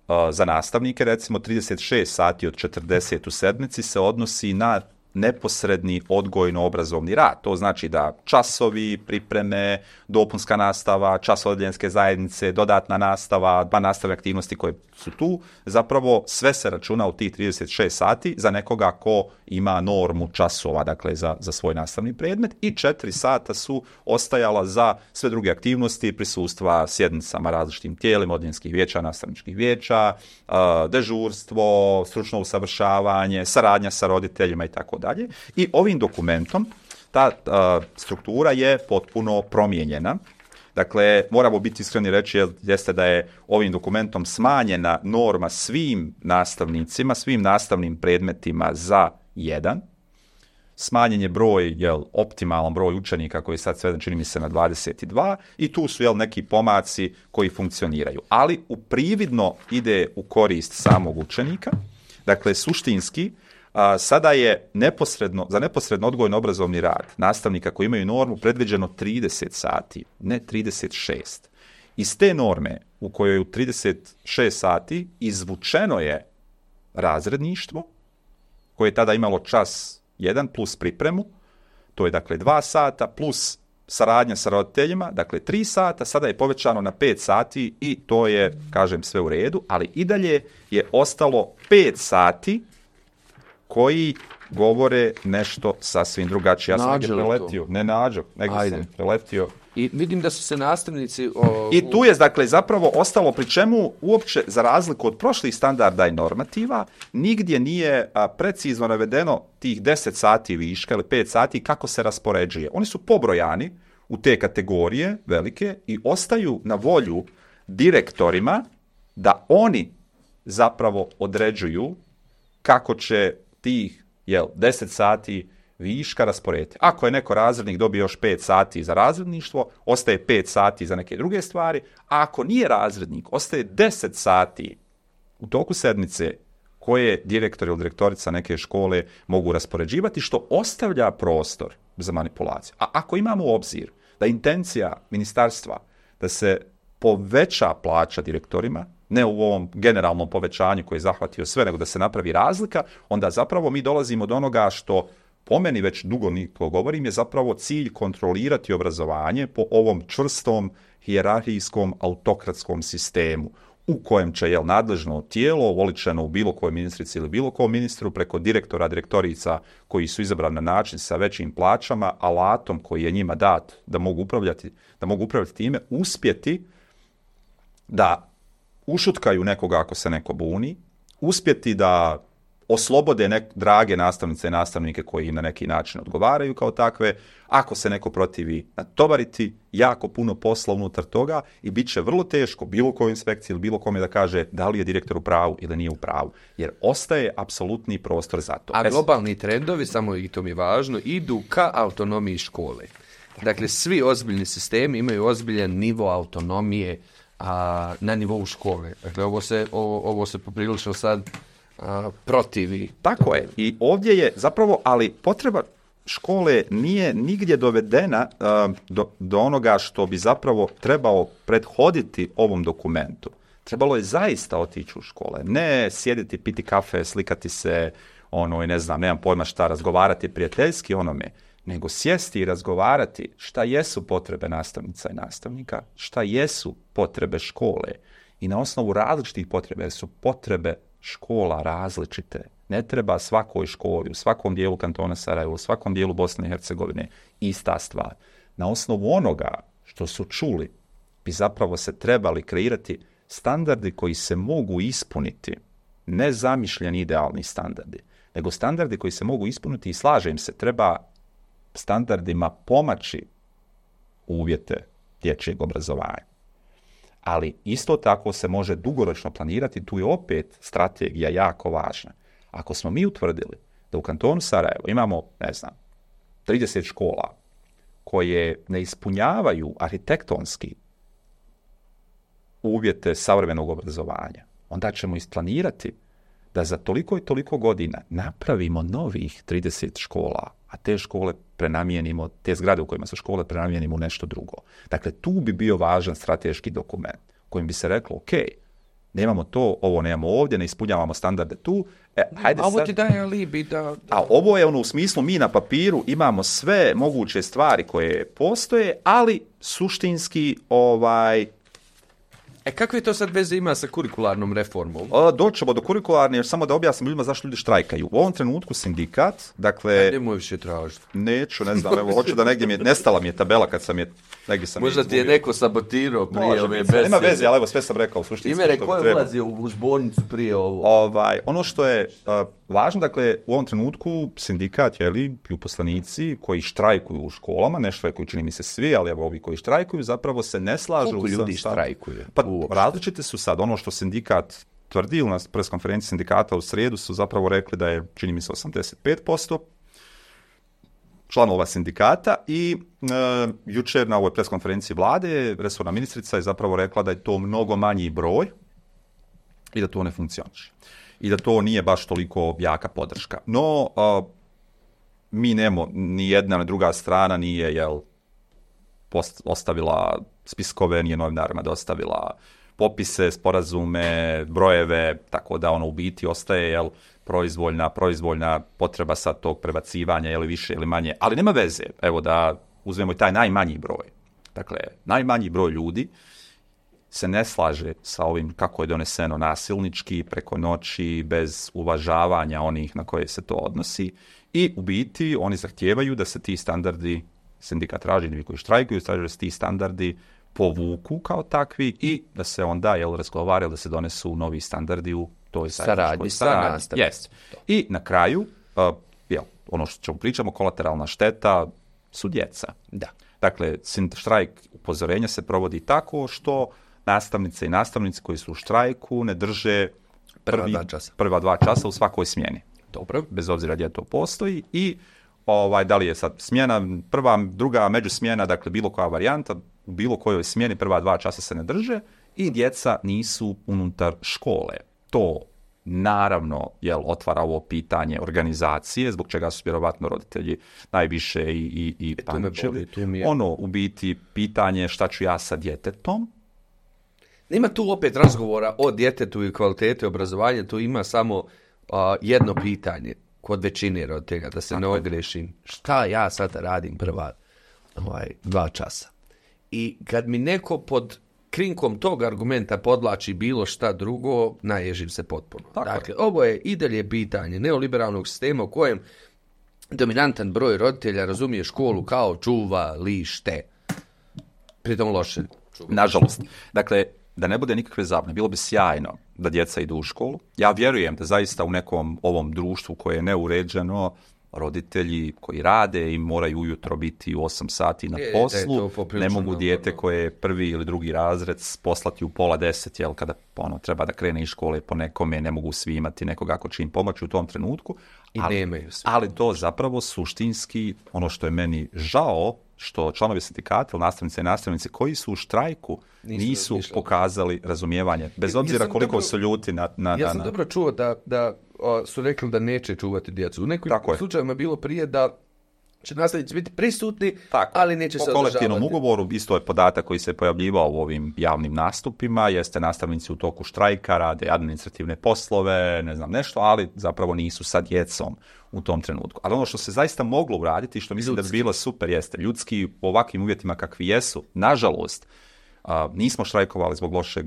Speaker 1: a, za nastavnike recimo trideset šest sati od četrdeset u sedmici se odnosi na neposredni odgojno-obrazovni rad. To znači da časovi, pripreme, dopunska nastava, čas odeljenske zajednice, dodatna nastava, dva nastavne aktivnosti koje su tu, zapravo sve se računa u tih trideset šest sati za nekoga ko ima normu časova, dakle za, za svoj nastavni predmet, i četiri sata su ostajala za sve druge aktivnosti, prisustva sjednicama različitim tijelima, odeljenskih vijeća, nastavničkih vijeća, dežurstvo, stručno usavršavanje, saradnja sa roditeljima i tako dalje. I ovim dokumentom ta a, struktura je potpuno promijenjena. Dakle, moramo biti iskreni reći jeste da je ovim dokumentom smanjena norma svim nastavnicima, svim nastavnim predmetima za jedan. Smanjen je broj, jel, optimalan broj učenika koji je sad sveden, čini mi se, na dvadeset dva i tu su, jel, neki pomaci koji funkcioniraju. Ali u prividno ide u korist samog učenika. Dakle, suštinski, a, sada je neposredno, za neposredno odgojno-obrazovni rad nastavnika koji imaju normu predviđeno trideset sati, ne trideset šest. Iz te norme u kojoj je u trideset šest sati izvučeno je razredništvo, koje je tada imalo čas jedan plus pripremu, to je dakle dva sata, plus saradnja sa roditeljima, dakle tri sata, sada je povećano na pet sati i to je, kažem, sve u redu, ali i dalje je ostalo pet sati koji govore nešto sasvim drugačije. Ja sam negdje preletio, ne nađo, negdje sam preletio.
Speaker 2: I vidim da su se nastavnici... O,
Speaker 1: I tu je, dakle, zapravo ostalo, pri čemu uopće, za razliku od prošlih standarda i normativa, nigdje nije a, precizno navedeno tih deset sati viška ili pet sati kako se raspoređuje. Oni su pobrojani u te kategorije velike i ostaju na volju direktorima da oni zapravo određuju kako će tih, jel, deset sati viška rasporediti. Ako je neko razrednik dobio još pet sati za razredništvo, ostaje pet sati za neke druge stvari, a ako nije razrednik, ostaje deset sati u toku sedmice koje direktor ili direktorica neke škole mogu raspoređivati, što ostavlja prostor za manipulaciju. A ako imamo u obzir da intencija ministarstva da se poveća plaća direktorima, ne u ovom generalnom povećanju koji je zahvatio sve, nego da se napravi razlika, onda zapravo mi dolazimo do onoga što po meni već dugo niko govorim, je zapravo cilj kontrolirati obrazovanje po ovom čvrstom, hijerarhijskom, autokratskom sistemu u kojem će, jel, nadležno tijelo, oličeno u bilo kojoj ministrici ili bilo kom ministru, preko direktora, direktorica koji su izabrani na način sa većim plaćama, alatom koji je njima dat da mogu upravljati, da mogu upravljati time, uspjeti da ušutkaju nekoga ako se neko buni, uspjeti da oslobode nek, drage nastavnice i nastavnike koji im na neki način odgovaraju kao takve, ako se neko protivi, natovariti jako puno posla unutar toga i bit će vrlo teško bilo kojoj inspekciji ili bilo kome da kaže da li je direktor u pravu ili nije u pravu, jer ostaje apsolutni prostor za to.
Speaker 2: A globalni trendovi, samo i to mi je važno, idu ka autonomiji škole. Dakle, svi ozbiljni sistemi imaju ozbiljan nivo autonomije a, na nivou škole. Dakle, ovo se, ovo, ovo se poprilično sad a, protivi.
Speaker 1: Tako je. I ovdje je zapravo, ali potreba škole nije nigdje dovedena a, do, do onoga što bi zapravo trebao prethoditi ovom dokumentu. Trebalo je zaista otići u škole. Ne sjediti, piti kafe, slikati se, ono, i ne znam, nemam pojma šta, razgovarati prijateljski onome, nego sjesti i razgovarati šta jesu potrebe nastavnica i nastavnika, šta jesu potrebe škole i na osnovu različitih potreba, jer su potrebe škola različite. Ne treba svakoj školi, u svakom dijelu kantona Sarajevo, u svakom dijelu Bosne i Hercegovine ista stvar. Na osnovu onoga što su čuli bi zapravo se trebali kreirati standardi koji se mogu ispuniti, ne zamišljeni idealni standardi, nego standardi koji se mogu ispuniti i slažem se, treba standardima pomaći uvjete dječjeg obrazovanja. Ali isto tako se može dugoročno planirati, tu je opet strategija jako važna. Ako smo mi utvrdili da u kantonu Sarajevo imamo, ne znam, trideset škola koje ne ispunjavaju arhitektonski uvjete savremenog obrazovanja, onda ćemo isplanirati da za toliko i toliko godina napravimo novih trideset škola, a te škole prenamijenimo, te zgrade u kojima su škole prenamijenimo u nešto drugo. Dakle, tu bi bio važan strateški dokument kojim bi se reklo, ok, nemamo to, ovo nemamo ovdje, ne ispunjavamo standarde tu. E, hajde
Speaker 2: a ovo
Speaker 1: sad...
Speaker 2: ti daje alibi da, da...
Speaker 1: A ovo je ono u smislu mi na papiru imamo sve moguće stvari koje postoje, ali suštinski ovaj...
Speaker 2: E, kakve to sad veze ima sa kurikularnom reformom?
Speaker 1: Doćemo do kurikularne, još samo da objasnim ljudima zašto ljudi štrajkaju. U ovom trenutku sindikat, dakle...
Speaker 2: Ja, nemoj više tražiti.
Speaker 1: Neću, ne znam, evo, hoću da negdje mi je, nestala mi je tabela kad sam je, negdje sam
Speaker 2: Možda
Speaker 1: je
Speaker 2: ti je neko sabotirao prije
Speaker 1: Može
Speaker 2: ove
Speaker 1: biti,
Speaker 2: besede.
Speaker 1: nema veze, ali evo sve sam rekao u suštini.
Speaker 2: Ime rekao je ulazio u zbornicu prije ovo.
Speaker 1: Ovaj, ono što je uh, važno, dakle, u ovom trenutku sindikat, jeli, i uposlenici koji štrajkuju u školama, ne štrajkuju, čini mi se svi, ali evo ovi koji štrajkuju zapravo se ne slažu.
Speaker 2: Koliko ljudi
Speaker 1: sa,
Speaker 2: štrajkuje?
Speaker 1: Pa različite su sad, ono što sindikat tvrdi na pres konferenciji sindikata u srijedu su zapravo rekli da je, čini mi se, osamdeset pet posto članova sindikata i e, jučer na ovoj pres konferenciji vlade resorna ministrica je zapravo rekla da je to mnogo manji broj i da to ne funkcioniše. I da to nije baš toliko jaka podrška. No, a, mi nemo, ni jedna ni druga strana nije, jel, post, ostavila spiskove, nije novinarima dostavila popise, sporazume, brojeve, tako da ono u biti ostaje, jel, proizvoljna, proizvoljna potreba sad tog prebacivanja, ili više ili manje, ali nema veze, evo da uzmemo i taj najmanji broj. Dakle, najmanji broj ljudi se ne slaže sa ovim kako je doneseno nasilnički, preko noći, bez uvažavanja onih na koje se to odnosi i u biti oni zahtijevaju da se ti standardi, sindikat traži, ljudi koji štrajkuju, traže da se ti standardi povuku kao takvi i da se onda, jel, razgovaraju da se donesu novi standardi u toj
Speaker 2: saradnji sa nastavnicima.
Speaker 1: Yes. I na kraju, uh, jel, ono što ćemo pričamo, kolateralna šteta su djeca.
Speaker 2: Da.
Speaker 1: Dakle, štrajk upozorenja se provodi tako što nastavnice i nastavnici koji su u štrajku ne drže prvi,
Speaker 2: prva, dva časa.
Speaker 1: prva dva časa u svakoj smjeni.
Speaker 2: Dobro.
Speaker 1: Bez obzira gdje to postoji i ovaj, da li je sad smjena prva, druga, međusmjena, dakle bilo koja varijanta, u bilo kojoj smjeni prva dva časa se ne drže i djeca nisu unutar škole. To naravno, jel, otvara ovo pitanje organizacije, zbog čega su vjerovatno roditelji najviše i, i, i
Speaker 2: e,
Speaker 1: paničili.
Speaker 2: Je...
Speaker 1: Ono, u biti, pitanje šta ću ja sa djetetom.
Speaker 2: Nema tu opet razgovora o djetetu i kvaliteti obrazovanja, tu ima samo uh, jedno pitanje kod većine roditelja, da se tako ne ogrešim. Šta ja sad radim prva ovaj, dva časa? I kad mi neko pod krinkom tog argumenta podlači bilo šta drugo, naježim se potpuno.
Speaker 1: Tako
Speaker 2: dakle, je. Ovo je i dalje pitanje neoliberalnog sistema u kojem dominantan broj roditelja razumije školu kao čuva lište. Pritom loše. Čuva.
Speaker 1: Nažalost. Dakle, da ne bude nikakve zabune, bilo bi sjajno da djeca idu u školu. Ja vjerujem da zaista u nekom ovom društvu koje je neuređeno, roditelji koji rade i moraju ujutro biti u osam sati na poslu, e, ne mogu dijete koje je prvi ili drugi razred poslati u pola deset, jel, kada ono, treba da krene iz škole po nekome, ne mogu svi imati nekoga ko će im pomoći u tom trenutku.
Speaker 2: I
Speaker 1: ali,
Speaker 2: nemaju svi.
Speaker 1: Ali to zapravo suštinski, ono što je meni žao, što članovi sindikata ili nastavnice i nastavnici koji su u štrajku nisu, nisu pokazali razumijevanje, bez obzira ja koliko dobro, su ljuti na... na
Speaker 2: ja sam
Speaker 1: na,
Speaker 2: dobro čuo da, da o, su rekli da neće čuvati djecu. U nekim slučajevima je bilo prije da će nastavnici biti prisutni, tako, ali neće se održavati.
Speaker 1: Po kolektivnom ugovoru, isto je podatak koji se pojavljivao u ovim javnim nastupima, jeste nastavnici u toku štrajka, rade administrativne poslove, ne znam nešto, ali zapravo nisu sa djecom u tom trenutku. Ali ono što se zaista moglo uraditi, što mislim ljudski. Da bi bilo super, jeste ljudski u ovakvim uvjetima kakvi jesu, nažalost, a, nismo štrajkovali zbog lošeg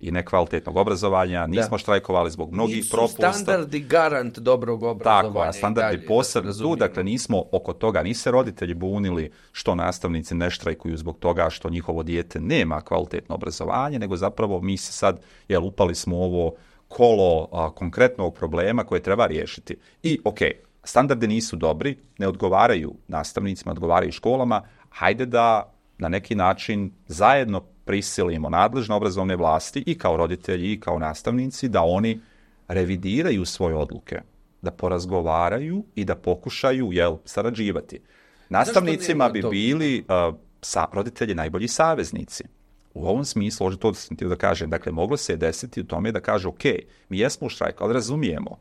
Speaker 1: i nekvalitetnog obrazovanja, nismo da. štrajkovali zbog mnogih
Speaker 2: nisu
Speaker 1: propusta.
Speaker 2: Nisu standardi garant dobrog obrazovanja.
Speaker 1: Tako, a standardi posebno tu, dakle nismo oko toga, ni se roditelji bunili što nastavnici ne štrajkuju zbog toga što njihovo dijete nema kvalitetno obrazovanje, nego zapravo mi se sad, jel, upali smo ovo kolo a, konkretnog problema koje treba riješiti. I, ok, standardi nisu dobri, ne odgovaraju nastavnicima, odgovaraju školama, hajde da na neki način zajedno prisilimo nadležne obrazovne vlasti i kao roditelji i kao nastavnici da oni revidiraju svoje odluke, da porazgovaraju i da pokušaju, jel, sarađivati. Nastavnicima bi bili uh, sa, roditelji najbolji saveznici. U ovom smislu, to sam htio da kažem, dakle, moglo se desiti u tome da kaže, ok, mi jesmo u štrajku, ali razumijemo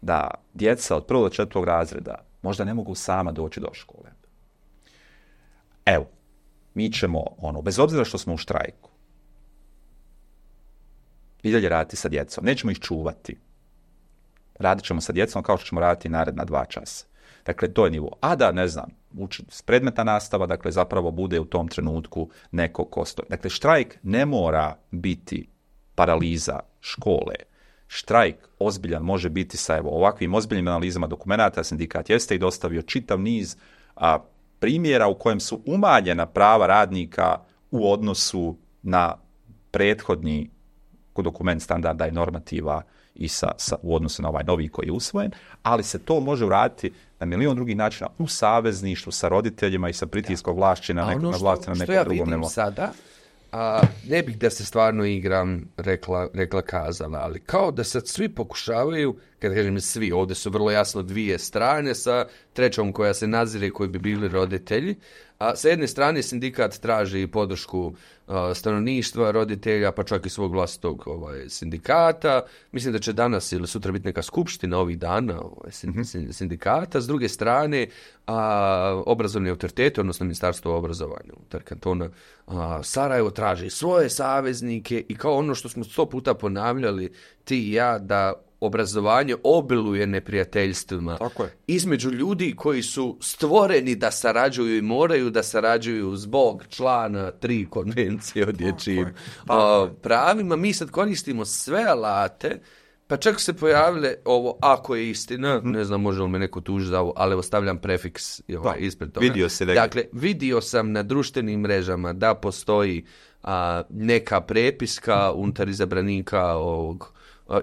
Speaker 1: da djeca od prvog do četvrtog razreda možda ne mogu sama doći do škole. Evo, mi ćemo, ono, bez obzira što smo u štrajku, i dalje raditi sa djecom. Nećemo ih čuvati. Radit ćemo sa djecom kao što ćemo raditi naredna dva časa. Dakle, to je nivo. A da, ne znam, uči, predmetna nastava, dakle, zapravo bude u tom trenutku neko ko stoji. Dakle, štrajk ne mora biti paraliza škole. Štrajk ozbiljan može biti sa evo, ovakvim ozbiljnim analizama dokumenata. Sindikat jeste i dostavio čitav niz a, primjera u kojem su umanjena prava radnika u odnosu na prethodni dokument standarda i normativa i sa, sa, u odnosu na ovaj novi koji je usvojen, ali se to može uraditi na milion drugih načina u savezništvu sa roditeljima i sa pritiskom vlasti na, neko,
Speaker 2: ono
Speaker 1: na vlasti na nekom
Speaker 2: ja
Speaker 1: drugom nivou.
Speaker 2: Sada, a, ne bih da se stvarno igram rekla, rekla kazala, ali kao da sad svi pokušavaju, kad kažem svi, ovdje su vrlo jasno dvije strane sa trećom koja se nazire koji bi bili roditelji, a sa jedne strane sindikat traži podršku a, stanovništva, roditelja, pa čak i svog vlastitog ovaj, sindikata. Mislim da će danas ili sutra biti neka skupština ovih dana ovaj, sindikata. S druge strane, a, obrazovni autoriteti, odnosno Ministarstvo obrazovanja unutar kantona a, Sarajevo traži svoje saveznike i kao ono što smo sto puta ponavljali ti i ja, da obrazovanje obiluje neprijateljstvima između ljudi koji su stvoreni da sarađuju i moraju da sarađuju zbog člana tri konvencije o dječjim pravima. Mi sad koristimo sve alate, pa čak se pojavile ovo, ako je istina, ne znam može li me neko tužiti za ovo, ali ostavljam prefiks ovaj, ispred toga.
Speaker 1: Vidio si
Speaker 2: dakle, vidio sam na društvenim mrežama da postoji a, neka prepiska unutar izabranika ovog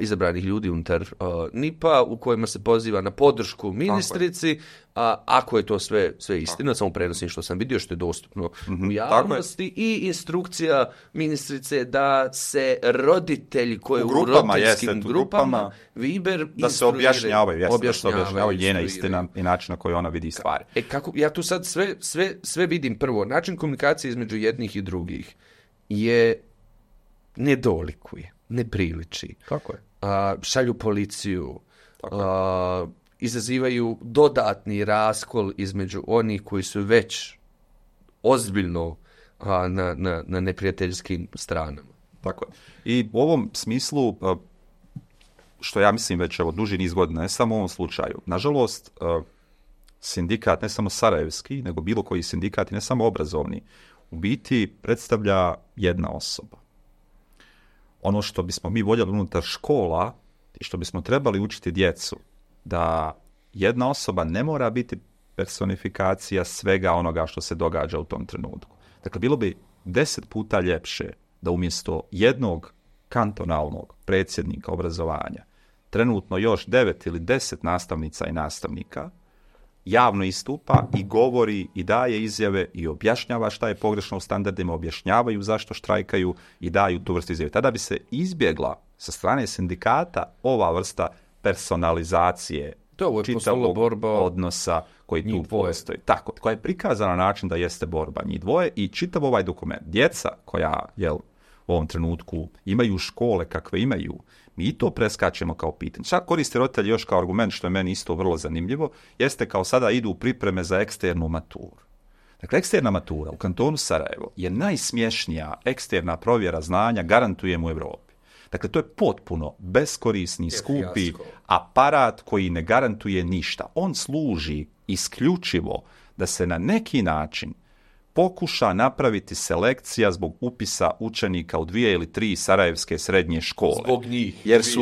Speaker 2: izabranih ljudi unutar uh, N I P-a u kojima se poziva na podršku ministrici, a, ako je to sve, sve istina, samo prenosim što sam vidio, što je dostupno mm-hmm. u javnosti i instrukcija ministrice da se roditelji koji u,
Speaker 1: grupama,
Speaker 2: u roditeljskim
Speaker 1: jeste,
Speaker 2: grupama,
Speaker 1: grupama
Speaker 2: Viber
Speaker 1: da se objašnjavaju, jeste,
Speaker 2: objašnjavaju,
Speaker 1: da se objašnjavaju njena istina i način na koji ona vidi stvari.
Speaker 2: E, kako, ja tu sad sve, sve, sve vidim prvo, način komunikacije između jednih i drugih je ne dolikuje, ne priliči.
Speaker 1: Kako je?
Speaker 2: A, šalju policiju, a, izazivaju dodatni raskol između onih koji su već ozbiljno a, na, na, na neprijateljskim stranama.
Speaker 1: Tako je. I u ovom smislu, što ja mislim već evo, duži niz godina, ne samo u ovom slučaju, nažalost, sindikat, ne samo sarajevski, nego bilo koji sindikat, ne samo obrazovni, u biti predstavlja jedna osoba. Ono što bismo mi voljeli unutar škola i što bismo trebali učiti djecu, da jedna osoba ne mora biti personifikacija svega onoga što se događa u tom trenutku. Dakle, bilo bi deset puta ljepše da umjesto jednog kantonalnog predsjednika obrazovanja trenutno još devet ili deset nastavnica i nastavnika javno istupa i govori i daje izjave i objašnjava šta je pogrešno u standardima, objašnjavaju zašto štrajkaju i daju tu vrstu izjave. Tada bi se izbjegla sa strane sindikata ova vrsta personalizacije čitavog borba odnosa koji tu postoji. Tako, koja je prikazana na način da jeste borba njih dvoje i čitav ovaj dokument. Djeca koja jel, u ovom trenutku imaju škole kakve imaju, mi to preskačemo kao pitanje. Čak koriste roditelji još kao argument, što je meni isto vrlo zanimljivo, jeste kao sada idu u pripreme za eksternu maturu. Dakle, eksterna matura u kantonu Sarajevo je najsmješnija eksterna provjera znanja, garantujem, u Europi. Dakle, to je potpuno beskorisni, skupi aparat koji ne garantuje ništa. On služi isključivo da se na neki način pokuša napraviti selekcija zbog upisa učenika u dvije ili tri sarajevske srednje škole.
Speaker 2: Zbog njih,
Speaker 1: jer su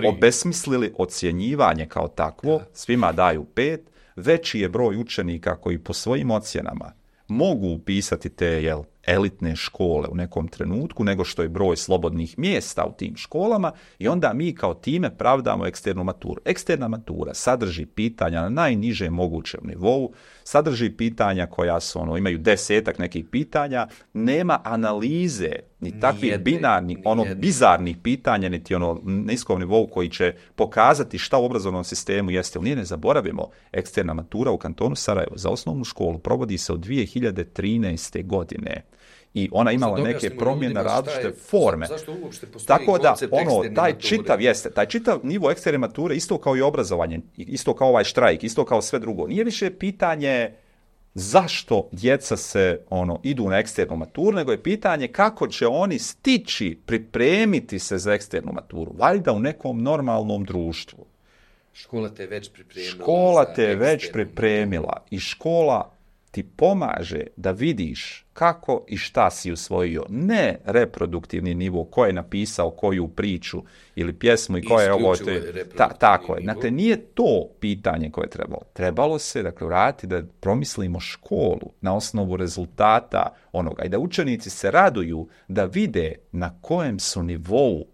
Speaker 1: obesmislili ocjenjivanje kao takvo, da. Svima daju pet, veći je broj učenika koji po svojim ocjenama mogu upisati te jel, elitne škole u nekom trenutku nego što je broj slobodnih mjesta u tim školama i onda mi kao time pravdamo eksternu maturu. Eksterna matura sadrži pitanja na najnižem mogućem nivou, sadrži pitanja koja su, ono, imaju desetak nekih pitanja, nema analize ni takvih
Speaker 2: Nijedne,
Speaker 1: binarnih, ono
Speaker 2: nijedne.
Speaker 1: bizarnih pitanja, niti ono niskom nivou koji će pokazati šta u obrazovnom sistemu jeste. Jer nije, ne zaboravimo, eksterna matura u kantonu Sarajevo za osnovnu školu provodi se od dvije hiljade trinaeste. godine. I ona imala neke promjene, različite forme.
Speaker 2: Zašto uopšte postoji
Speaker 1: Tako da,
Speaker 2: koncept
Speaker 1: ono,
Speaker 2: eksterne
Speaker 1: taj
Speaker 2: mature?
Speaker 1: čitav jeste, taj čitav nivo eksterne mature, isto kao i obrazovanje, isto kao ovaj štrajk, isto kao sve drugo. Nije više pitanje zašto djeca se ono idu na eksternu maturu, nego je pitanje kako će oni stići, pripremiti se za eksternu maturu. Valjda u nekom normalnom društvu.
Speaker 2: Škola te je već pripremila.
Speaker 1: Škola
Speaker 2: za
Speaker 1: te je već
Speaker 2: eksternu
Speaker 1: pripremila i škola ti pomaže da vidiš kako i šta si usvojio. Ne reproduktivni nivo, ko je napisao koju priču ili pjesmu i ko je ovo.
Speaker 2: Isključivo je
Speaker 1: Te,
Speaker 2: reproduktivni
Speaker 1: ta, tako je.
Speaker 2: nivo.
Speaker 1: Znate, nije to pitanje koje je trebalo. Trebalo se, dakle, vratiti da promislimo školu na osnovu rezultata onoga i da učenici se raduju da vide na kojem su nivou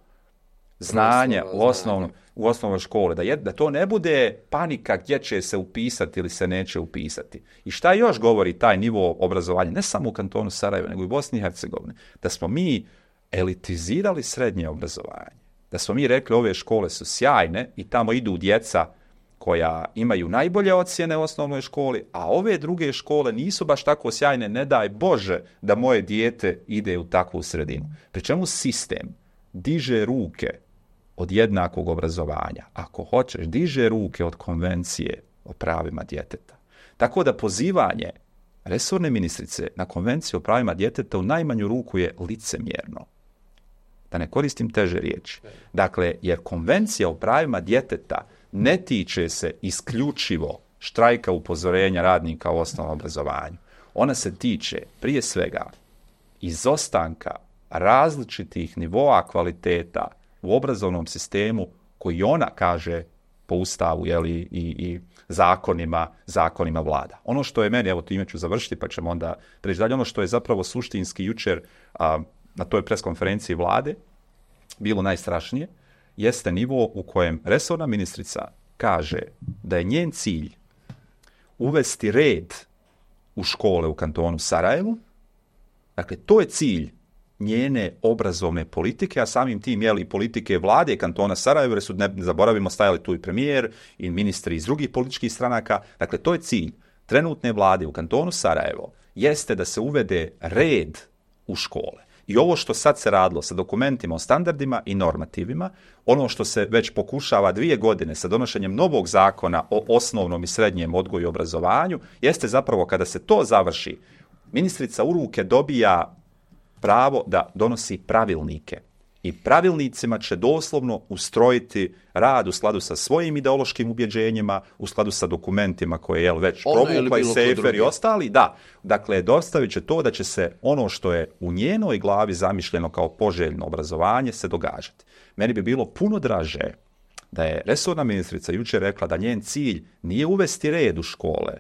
Speaker 1: znanja
Speaker 2: Proslova,
Speaker 1: u osnovnom u osnovnoj školi, da, je, da to ne bude panika gdje će se upisati ili se neće upisati. I šta još govori taj nivo obrazovanja, ne samo u kantonu Sarajevo, nego i u Bosni i Hercegovini, da smo mi elitizirali srednje obrazovanje, da smo mi rekli ove škole su sjajne i tamo idu djeca koja imaju najbolje ocjene u osnovnoj školi, a ove druge škole nisu baš tako sjajne, ne daj Bože da moje dijete ide u takvu sredinu. Pri čemu sistem diže ruke od jednakog obrazovanja. Ako hoćeš, diže ruke od konvencije o pravima djeteta. Tako da pozivanje resorne ministrice na konvenciju o pravima djeteta u najmanju ruku je licemjerno. Da ne koristim teže riječi. Dakle, jer konvencija o pravima djeteta ne tiče se isključivo štrajka upozorenja radnika u osnovnom obrazovanju. Ona se tiče prije svega izostanka različitih nivoa kvaliteta u obrazovnom sistemu koji ona kaže po ustavu, jeli, i, i zakonima, zakonima vlada. Ono što je meni, evo time ću završiti pa ćemo onda preći dalje, ono što je zapravo suštinski jučer a, na toj preskonferenciji vlade bilo najstrašnije, jeste nivo u kojem resorna ministrica kaže da je njen cilj uvesti red u škole u kantonu Sarajevu. Dakle, to je cilj njene obrazovne politike, a samim tim jeli politike vlade kantona Sarajevo, jer su, ne zaboravimo, stajali tu i premijer i ministri iz drugih političkih stranaka. Dakle, to je cilj trenutne vlade u kantonu Sarajevo, jeste da se uvede red u škole. I ovo što sad se radilo sa dokumentima o standardima i normativima, ono što se već pokušava dvije godine sa donošenjem novog zakona o osnovnom i srednjem odgoju i obrazovanju, jeste zapravo kada se to završi, ministrica u ruke dobija pravo da donosi pravilnike. I pravilnicima će doslovno ustrojiti rad u skladu sa svojim ideološkim ubjeđenjima, u skladu sa dokumentima koje je već provukla i Sejfer i ostali. Da, dakle, dostavit će to da će se ono što je u njenoj glavi zamišljeno kao poželjno obrazovanje se događati. Meni bi bilo puno draže da je resorna ministrica jučer rekla da njen cilj nije uvesti red u škole,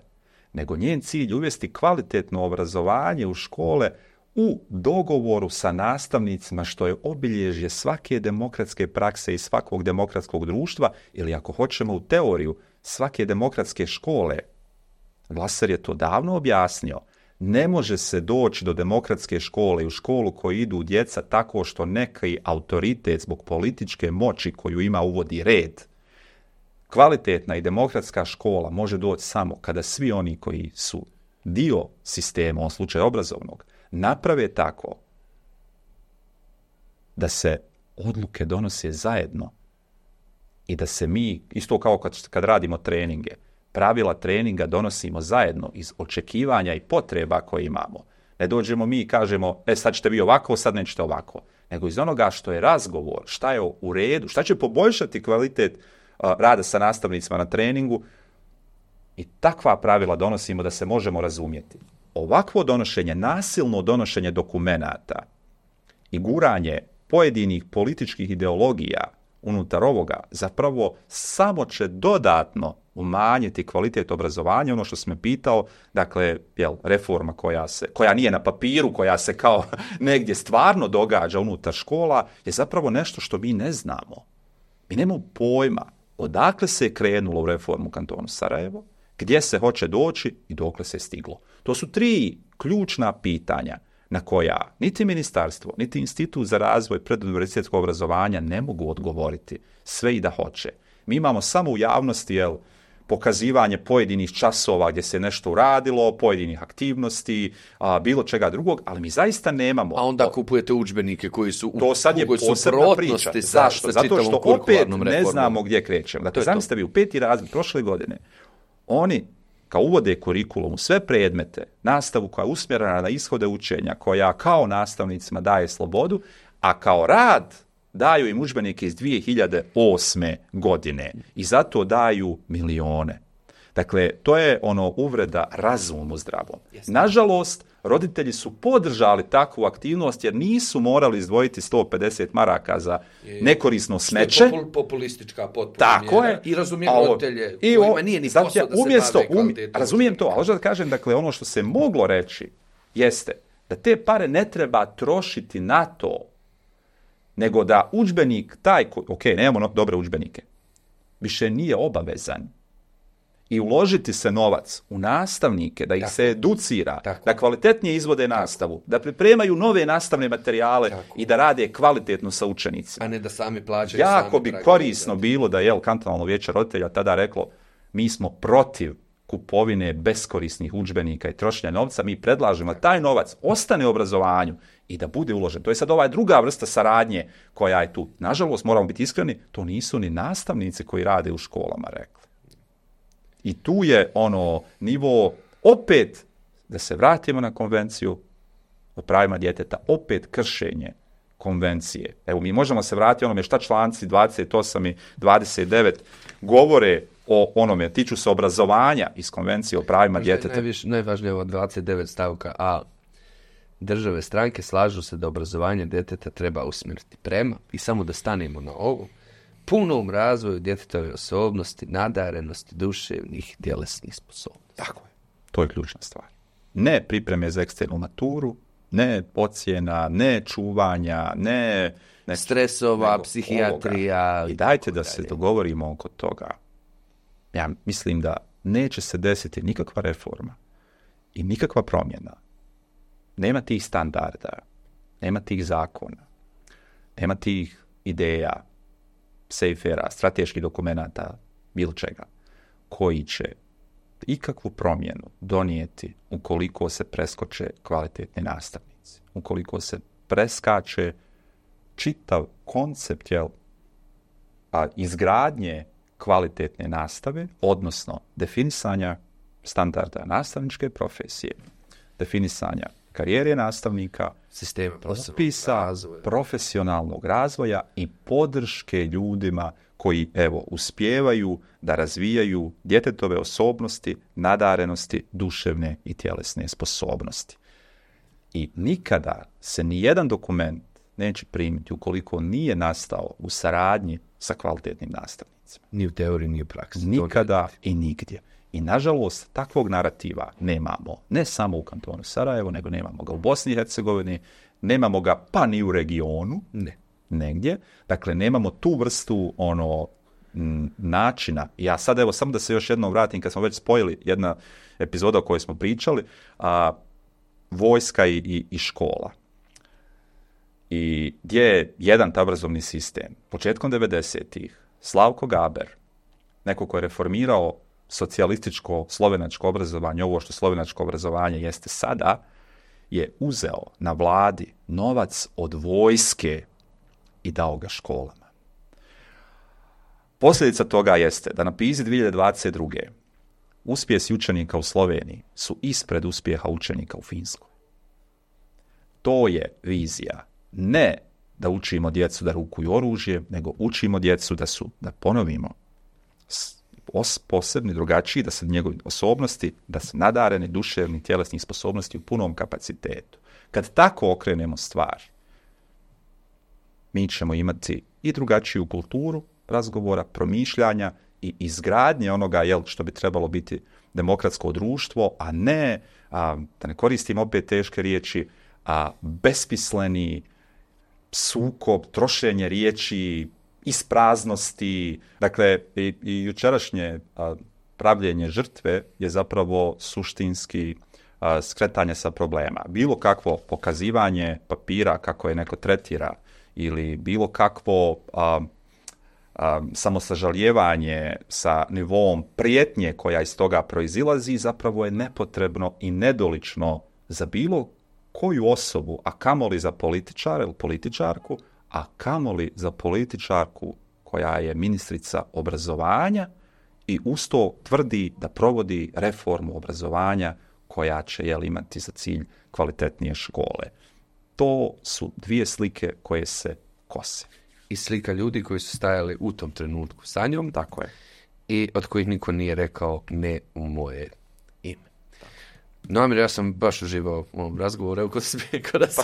Speaker 1: nego njen cilj uvesti kvalitetno obrazovanje u škole u dogovoru sa nastavnicima, što je obilježje svake demokratske prakse i svakog demokratskog društva, ili ako hoćemo u teoriju, svake demokratske škole. Glaser je to davno objasnio. Ne može se doći do demokratske škole i u školu koju idu djeca tako što neki autoritet zbog političke moći koju ima uvodi red. Kvalitetna i demokratska škola može doći samo kada svi oni koji su dio sistema, u ovom slučaju obrazovnog, naprave tako da se odluke donose zajedno i da se mi, isto kao kad, kad radimo treninge, pravila treninga donosimo zajedno iz očekivanja i potreba koje imamo. Ne dođemo mi i kažemo, e sad ćete vi ovako, sad nećete ovako. Nego iz onoga što je razgovor, šta je u redu, šta će poboljšati kvalitet uh, rada sa nastavnicima na treningu, i takva pravila donosimo da se možemo razumjeti. Ovakvo donošenje, nasilno donošenje dokumenata i guranje pojedinih političkih ideologija unutar ovoga zapravo samo će dodatno umanjiti kvalitet obrazovanja. Ono što sam me pitao, dakle, jel, reforma koja se, koja nije na papiru, koja se kao negdje stvarno događa unutar škola, je zapravo nešto što mi ne znamo. Mi nemamo pojma odakle se je krenulo u reformu kantonu Sarajevo, gdje se hoće doći i dokle se je stiglo. To su tri ključna pitanja na koja niti ministarstvo, niti Institut za razvoj preduniverzitetskog obrazovanja ne mogu odgovoriti sve i da hoće. Mi imamo samo u javnosti, jel, pokazivanje pojedinih časova gdje se nešto uradilo, pojedinih aktivnosti, a, bilo čega drugog, ali mi zaista nemamo.
Speaker 2: A onda kupujete udžbenike koji su u
Speaker 1: to sad je posebna priča. Zašto? Zato što opet ne znamo gdje krećemo. Dakle, zamislite vi u peti razred prošle godine, oni kao uvode kurikulum u sve predmete, nastavu koja je usmjerena na ishode učenja, koja kao nastavnicima daje slobodu, a kao rad daju im udžbenike iz dvije hiljade osme godine i zato daju milione. Dakle, to je ono uvreda razumu zdravom. Nažalost, roditelji su podržali takvu aktivnost jer nisu morali izdvojiti sto pedeset maraka za nekorisno smeće.
Speaker 2: Popul, populistička potpuna
Speaker 1: Tako
Speaker 2: mjera.
Speaker 1: Je.
Speaker 2: I razumijem roditelje
Speaker 1: i
Speaker 2: kojima nije ni posao da
Speaker 1: umjesto,
Speaker 2: se bave kvalitetom.
Speaker 1: Razumijem to, ali hoću da kažem, dakle, ono što se moglo reći jeste da te pare ne treba trošiti na to, nego da udžbenik taj, ko, ok, nemamo dobre udžbenike, više nije obavezan i uložiti se novac u nastavnike, da ih tako se educira, tako da kvalitetnije izvode nastavu, tako da pripremaju nove nastavne materijale tako i da rade kvalitetno sa učenicima.
Speaker 2: A ne da sami plaćaju.
Speaker 1: Jako
Speaker 2: sami
Speaker 1: bi korisno bilo da je kantonalno vijeće roditelja tada reklo, mi smo protiv kupovine beskorisnih udžbenika i trošenja novca, mi predlažemo da taj novac ostane u obrazovanju i da bude uložen. To je sad ova druga vrsta saradnje koja je tu. Nažalost, moramo biti iskreni, to nisu ni nastavnici koji rade u školama rekli. I tu je ono nivo, opet, da se vratimo na konvenciju o pravima djeteta, opet kršenje konvencije. Evo, mi možemo se vratiti onome šta članci dvadeset osam i dvadeset devet govore o onome, tiču se obrazovanja iz konvencije o pravima djeteta.
Speaker 2: Najviš, najvažnije ovo dvadeset devet stavka A. Države stranke slažu se da obrazovanje djeteta treba usmjeriti prema, i samo da stanemo na ovo, punom razvoju djetetove osobnosti, nadarenosti, duševnih i tjelesnih sposobnosti.
Speaker 1: Tako je. To je ključna stvar. Ne pripreme za eksternu maturu, ne ocjena, ne čuvanja, ne... ne
Speaker 2: stresova, psihijatrija...
Speaker 1: Ovoga. I dajte da se dogovorimo oko toga. Ja mislim da neće se desiti nikakva reforma i nikakva promjena. Nema tih standarda, nema tih zakona, nema tih ideja, sejfera, strateških dokumenata, bilo čega, koji će ikakvu promjenu donijeti ukoliko se preskoče kvalitetni nastavnici, ukoliko se preskače čitav koncept, jel, a izgradnje kvalitetne nastave, odnosno definisanja standarda nastavničke profesije, definisanja karijere nastavnika,
Speaker 2: sistema
Speaker 1: opisa profesionalnog razvoja i podrške ljudima koji, evo, uspijevaju da razvijaju djetetove osobnosti, nadarenosti, duševne i tjelesne sposobnosti. I nikada se nijedan dokument neće primiti ukoliko nije nastao u saradnji sa kvalitetnim nastavnicima.
Speaker 2: Ni u teoriji, ni u praksi.
Speaker 1: Nikada i nigdje. I nažalost, takvog narativa nemamo, ne samo u kantonu Sarajevo, nego nemamo ga u Bosni i Hercegovini, nemamo ga pa ni u regionu,
Speaker 2: ne.
Speaker 1: negdje. Dakle, nemamo tu vrstu ono m, načina. Ja sad, evo, samo da se još jednom vratim, kad smo već spojili jedna epizoda o kojoj smo pričali, a, vojska i, i, i škola. I gdje je jedan taj obrazovni sistem. Početkom devedesetih Slavko Gaber, neko ko je reformirao socijalističko slovenačko obrazovanje, ovo što slovenačko obrazovanje jeste sada, je uzeo na vladi novac od vojske i dao ga školama. Posljedica toga jeste da na PISA dvije hiljade dvadeset druge uspjesi učenika u Sloveniji su ispred uspjeha učenika u Finskoj. To je vizija. Ne da učimo djecu da rukuju oružje, nego učimo djecu da su, da ponovimo, posebni, drugačiji, da se njegovi osobnosti, da se nadareni duševni, tjelesni sposobnosti u punom kapacitetu. Kad tako okrenemo stvar, mi ćemo imati i drugačiju kulturu razgovora, promišljanja i izgradnje onoga, jel, što bi trebalo biti demokratsko društvo, a ne, a, da ne koristim opet teške riječi, a besmisleni sukob, trošenje riječi, ispraznosti. Dakle, i, i jučerašnje a, pravljenje žrtve je zapravo suštinski a, skretanje sa problema. Bilo kakvo pokazivanje papira kako je neko tretira ili bilo kakvo a, a, samosažaljevanje sa nivom prijetnje koja iz toga proizilazi zapravo je nepotrebno i nedolično za bilo koju osobu, a kamoli za političara ili političarku, a kamoli za političarku koja je ministrica obrazovanja i uz to tvrdi da provodi reformu obrazovanja koja će jel, imati za cilj kvalitetnije škole. To su dvije slike koje se kose.
Speaker 2: I slika ljudi koji su stajali u tom trenutku sa njom.
Speaker 1: Tako je.
Speaker 2: I od kojih niko nije rekao ne u moje ime. No, Amir, ja sam baš uživao u ovom razgovoru, evo ko si bio, kada si,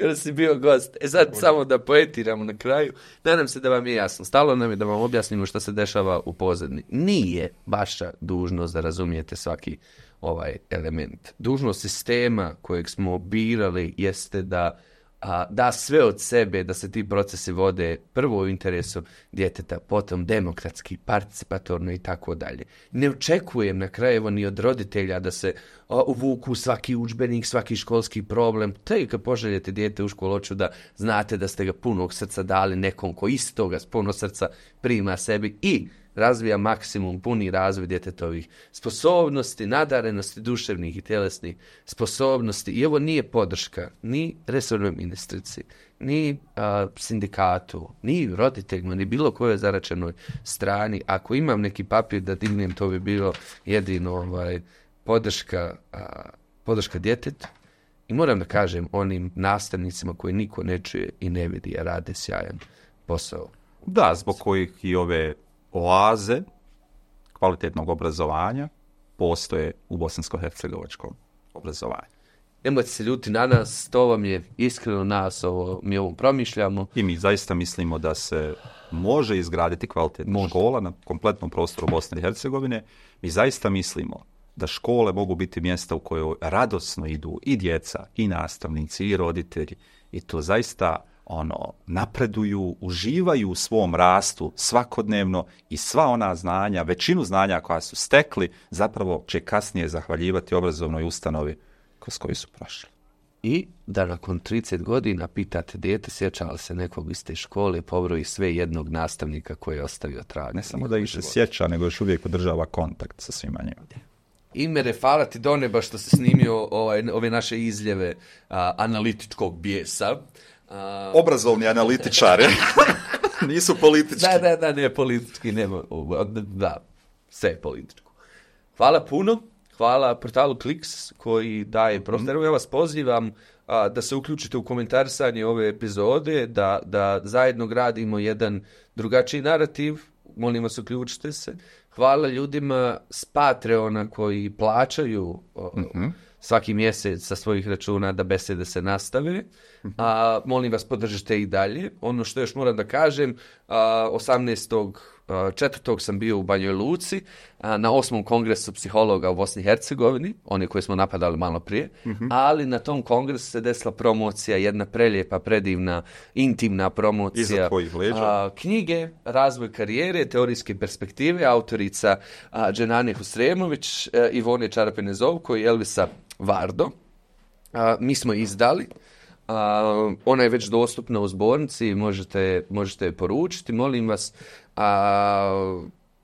Speaker 2: kada si bio gost. E sad, samo da poetiramo na kraju, nadam se da vam je jasno. Stalo nam je da vam objasnimo što se dešava u pozadini. Nije vaša dužnost da razumijete svaki ovaj element. Dužnost sistema kojeg smo birali jeste da a, da sve od sebe, da se ti procesi vode prvo u interesu djeteta, potom demokratski, participatorno i tako dalje. Ne očekujem na kraju ni od roditelja da se a, uvuku svaki udžbenik, svaki školski problem. Te kad poželjete dijete u školu, hoću da znate da ste ga punog srca dali nekom ko istoga s puno srca prima sebi i razvija maksimum puni razvoj djetetovih sposobnosti, nadarenosti, duševnih i tjelesnih sposobnosti. I ovo nije podrška ni resornoj ministrici, ni a, sindikatu, ni roditeljima, ni bilo kojoj zaračenoj strani. Ako imam neki papir da dignem, to bi bilo jedino ovaj, podrška, a, podrška djetetu. I moram da kažem onim nastavnicima koji niko ne čuje i ne vidi, a rade sjajan posao.
Speaker 1: Da, zbog kojih i ove oaze kvalitetnog obrazovanja postoje u bosansko-hercegovačkom obrazovanju.
Speaker 2: Nemojte se ljuti na nas, to vam je iskreno nas, ovo, mi ovo promišljamo.
Speaker 1: I mi zaista mislimo da se može izgraditi kvalitetna može. škola na kompletnom prostoru Bosne i Hercegovine. Mi zaista mislimo da škole mogu biti mjesta u kojoj radosno idu i djeca, i nastavnici, i roditelji. I to zaista ono, napreduju, uživaju u svom rastu svakodnevno i sva ona znanja, većinu znanja koja su stekli, zapravo će kasnije zahvaljivati obrazovnoj ustanovi kroz koju su prošli.
Speaker 2: I da nakon trideset godina pitate dijete, sjeća li se nekog iz te škole, pobroji sve jednog nastavnika koji je ostavio trag.
Speaker 1: Ne samo da ih se sjeća, nego još uvijek održava kontakt sa svima njima.
Speaker 2: Imere, hvala ti do neba što se snimio ovaj, ove naše izljeve a, analitičkog bijesa.
Speaker 1: A... Obrazovni analitičari. Nisu politički.
Speaker 2: Da, da, da, ne, politički, nema, da, sve je političko. Hvala puno, hvala portalu Kliks koji daje prostor. Mm. Ja vas pozivam a, da se uključite u komentarisanje ove epizode, da, da zajedno gradimo jedan drugačiji narativ. Molim vas, uključite se. Hvala ljudima s Patreona koji plaćaju o, mm-hmm. svaki mjesec sa svojih računa da besede se nastave. A, molim vas, podržite i dalje. Ono što još moram da kažem, a, osamnaestog četvrtog sam bio u Banjoj Luci a, na osmom kongresu psihologa u Bosni i Hercegovini, oni koji smo napadali malo prije, mm-hmm. ali na tom kongresu se desila promocija, jedna prelijepa, predivna, intimna promocija a, knjige Razvoj karijere, teorijske perspektive, autorica a, Dženane Husremović, a, Ivone Čarapene-Zovko i Elvisa Vardo. A, mi smo izdali. Uh, ona je već dostupna u zbornici, možete, možete je poručiti, molim vas. Uh,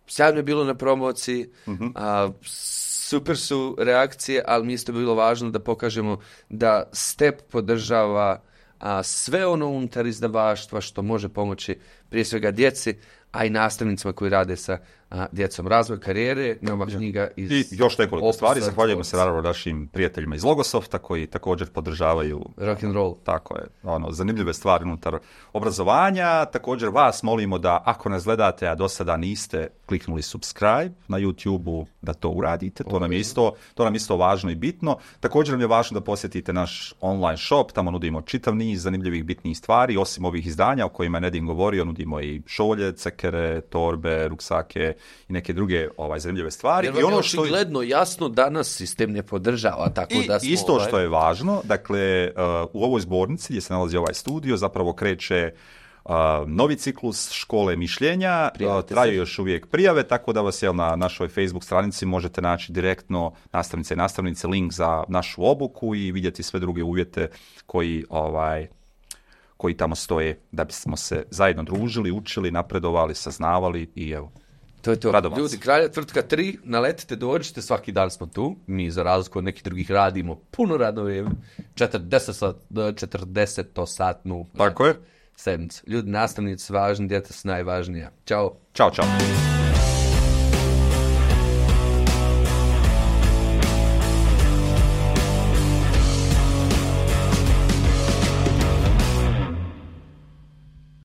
Speaker 2: sjajno je bilo na promociji, uh-huh. uh, super su reakcije, ali mi isto bilo važno da pokažemo da STEP podržava uh, sve ono unutar izdavaštva što može pomoći prije svega djeci, a i nastavnicima koji rade sa a, djecom. Razvoj karijere, nova knjiga iz...
Speaker 1: I još nekoliko stvari. Zahvaljujemo se naravno našim prijateljima iz Logosofta koji također podržavaju
Speaker 2: rock and roll.
Speaker 1: Tako je, ono, zanimljive stvari unutar obrazovanja. Također vas molimo da ako nas gledate, a do sada niste kliknuli subscribe na YouTube-u, da to uradite. To nam je isto, to nam isto važno i bitno. Također nam je važno da posjetite naš online shop, tamo nudimo čitav niz zanimljivih bitnih stvari, osim ovih izdanja o kojima je Nedim govorio, nudimo i šolje, cekere, torbe, ruksake i neke druge ovaj zanimljive stvari.
Speaker 2: Jer I ono što je očigledno jasno danas sistem ne podržava, tako
Speaker 1: I
Speaker 2: da smo
Speaker 1: isto
Speaker 2: ovaj...
Speaker 1: što je važno, dakle uh, u ovoj zbornici gdje se nalazi ovaj studio zapravo kreće Uh, novi ciklus škole mišljenja, uh, traju
Speaker 2: se.
Speaker 1: još uvijek prijave, tako da vas jel, na našoj Facebook stranici možete naći direktno nastavnice i nastavnice link za našu obuku i vidjeti sve druge uvjete koji, ovaj, koji tamo stoje da bismo se zajedno družili, učili, napredovali, saznavali i evo.
Speaker 2: To je to.
Speaker 1: Radovac.
Speaker 2: Ljudi, Kralja tvrtka tri, naletite, dođite, svaki dan smo tu. Mi, za razliku od nekih drugih, radimo puno radno vrijeme. četrdeset-satnu
Speaker 1: Tako je.
Speaker 2: sedmicu. Ljudi, nastavnici važni, djeca su najvažnija. Ćao.
Speaker 1: Ćao, čao.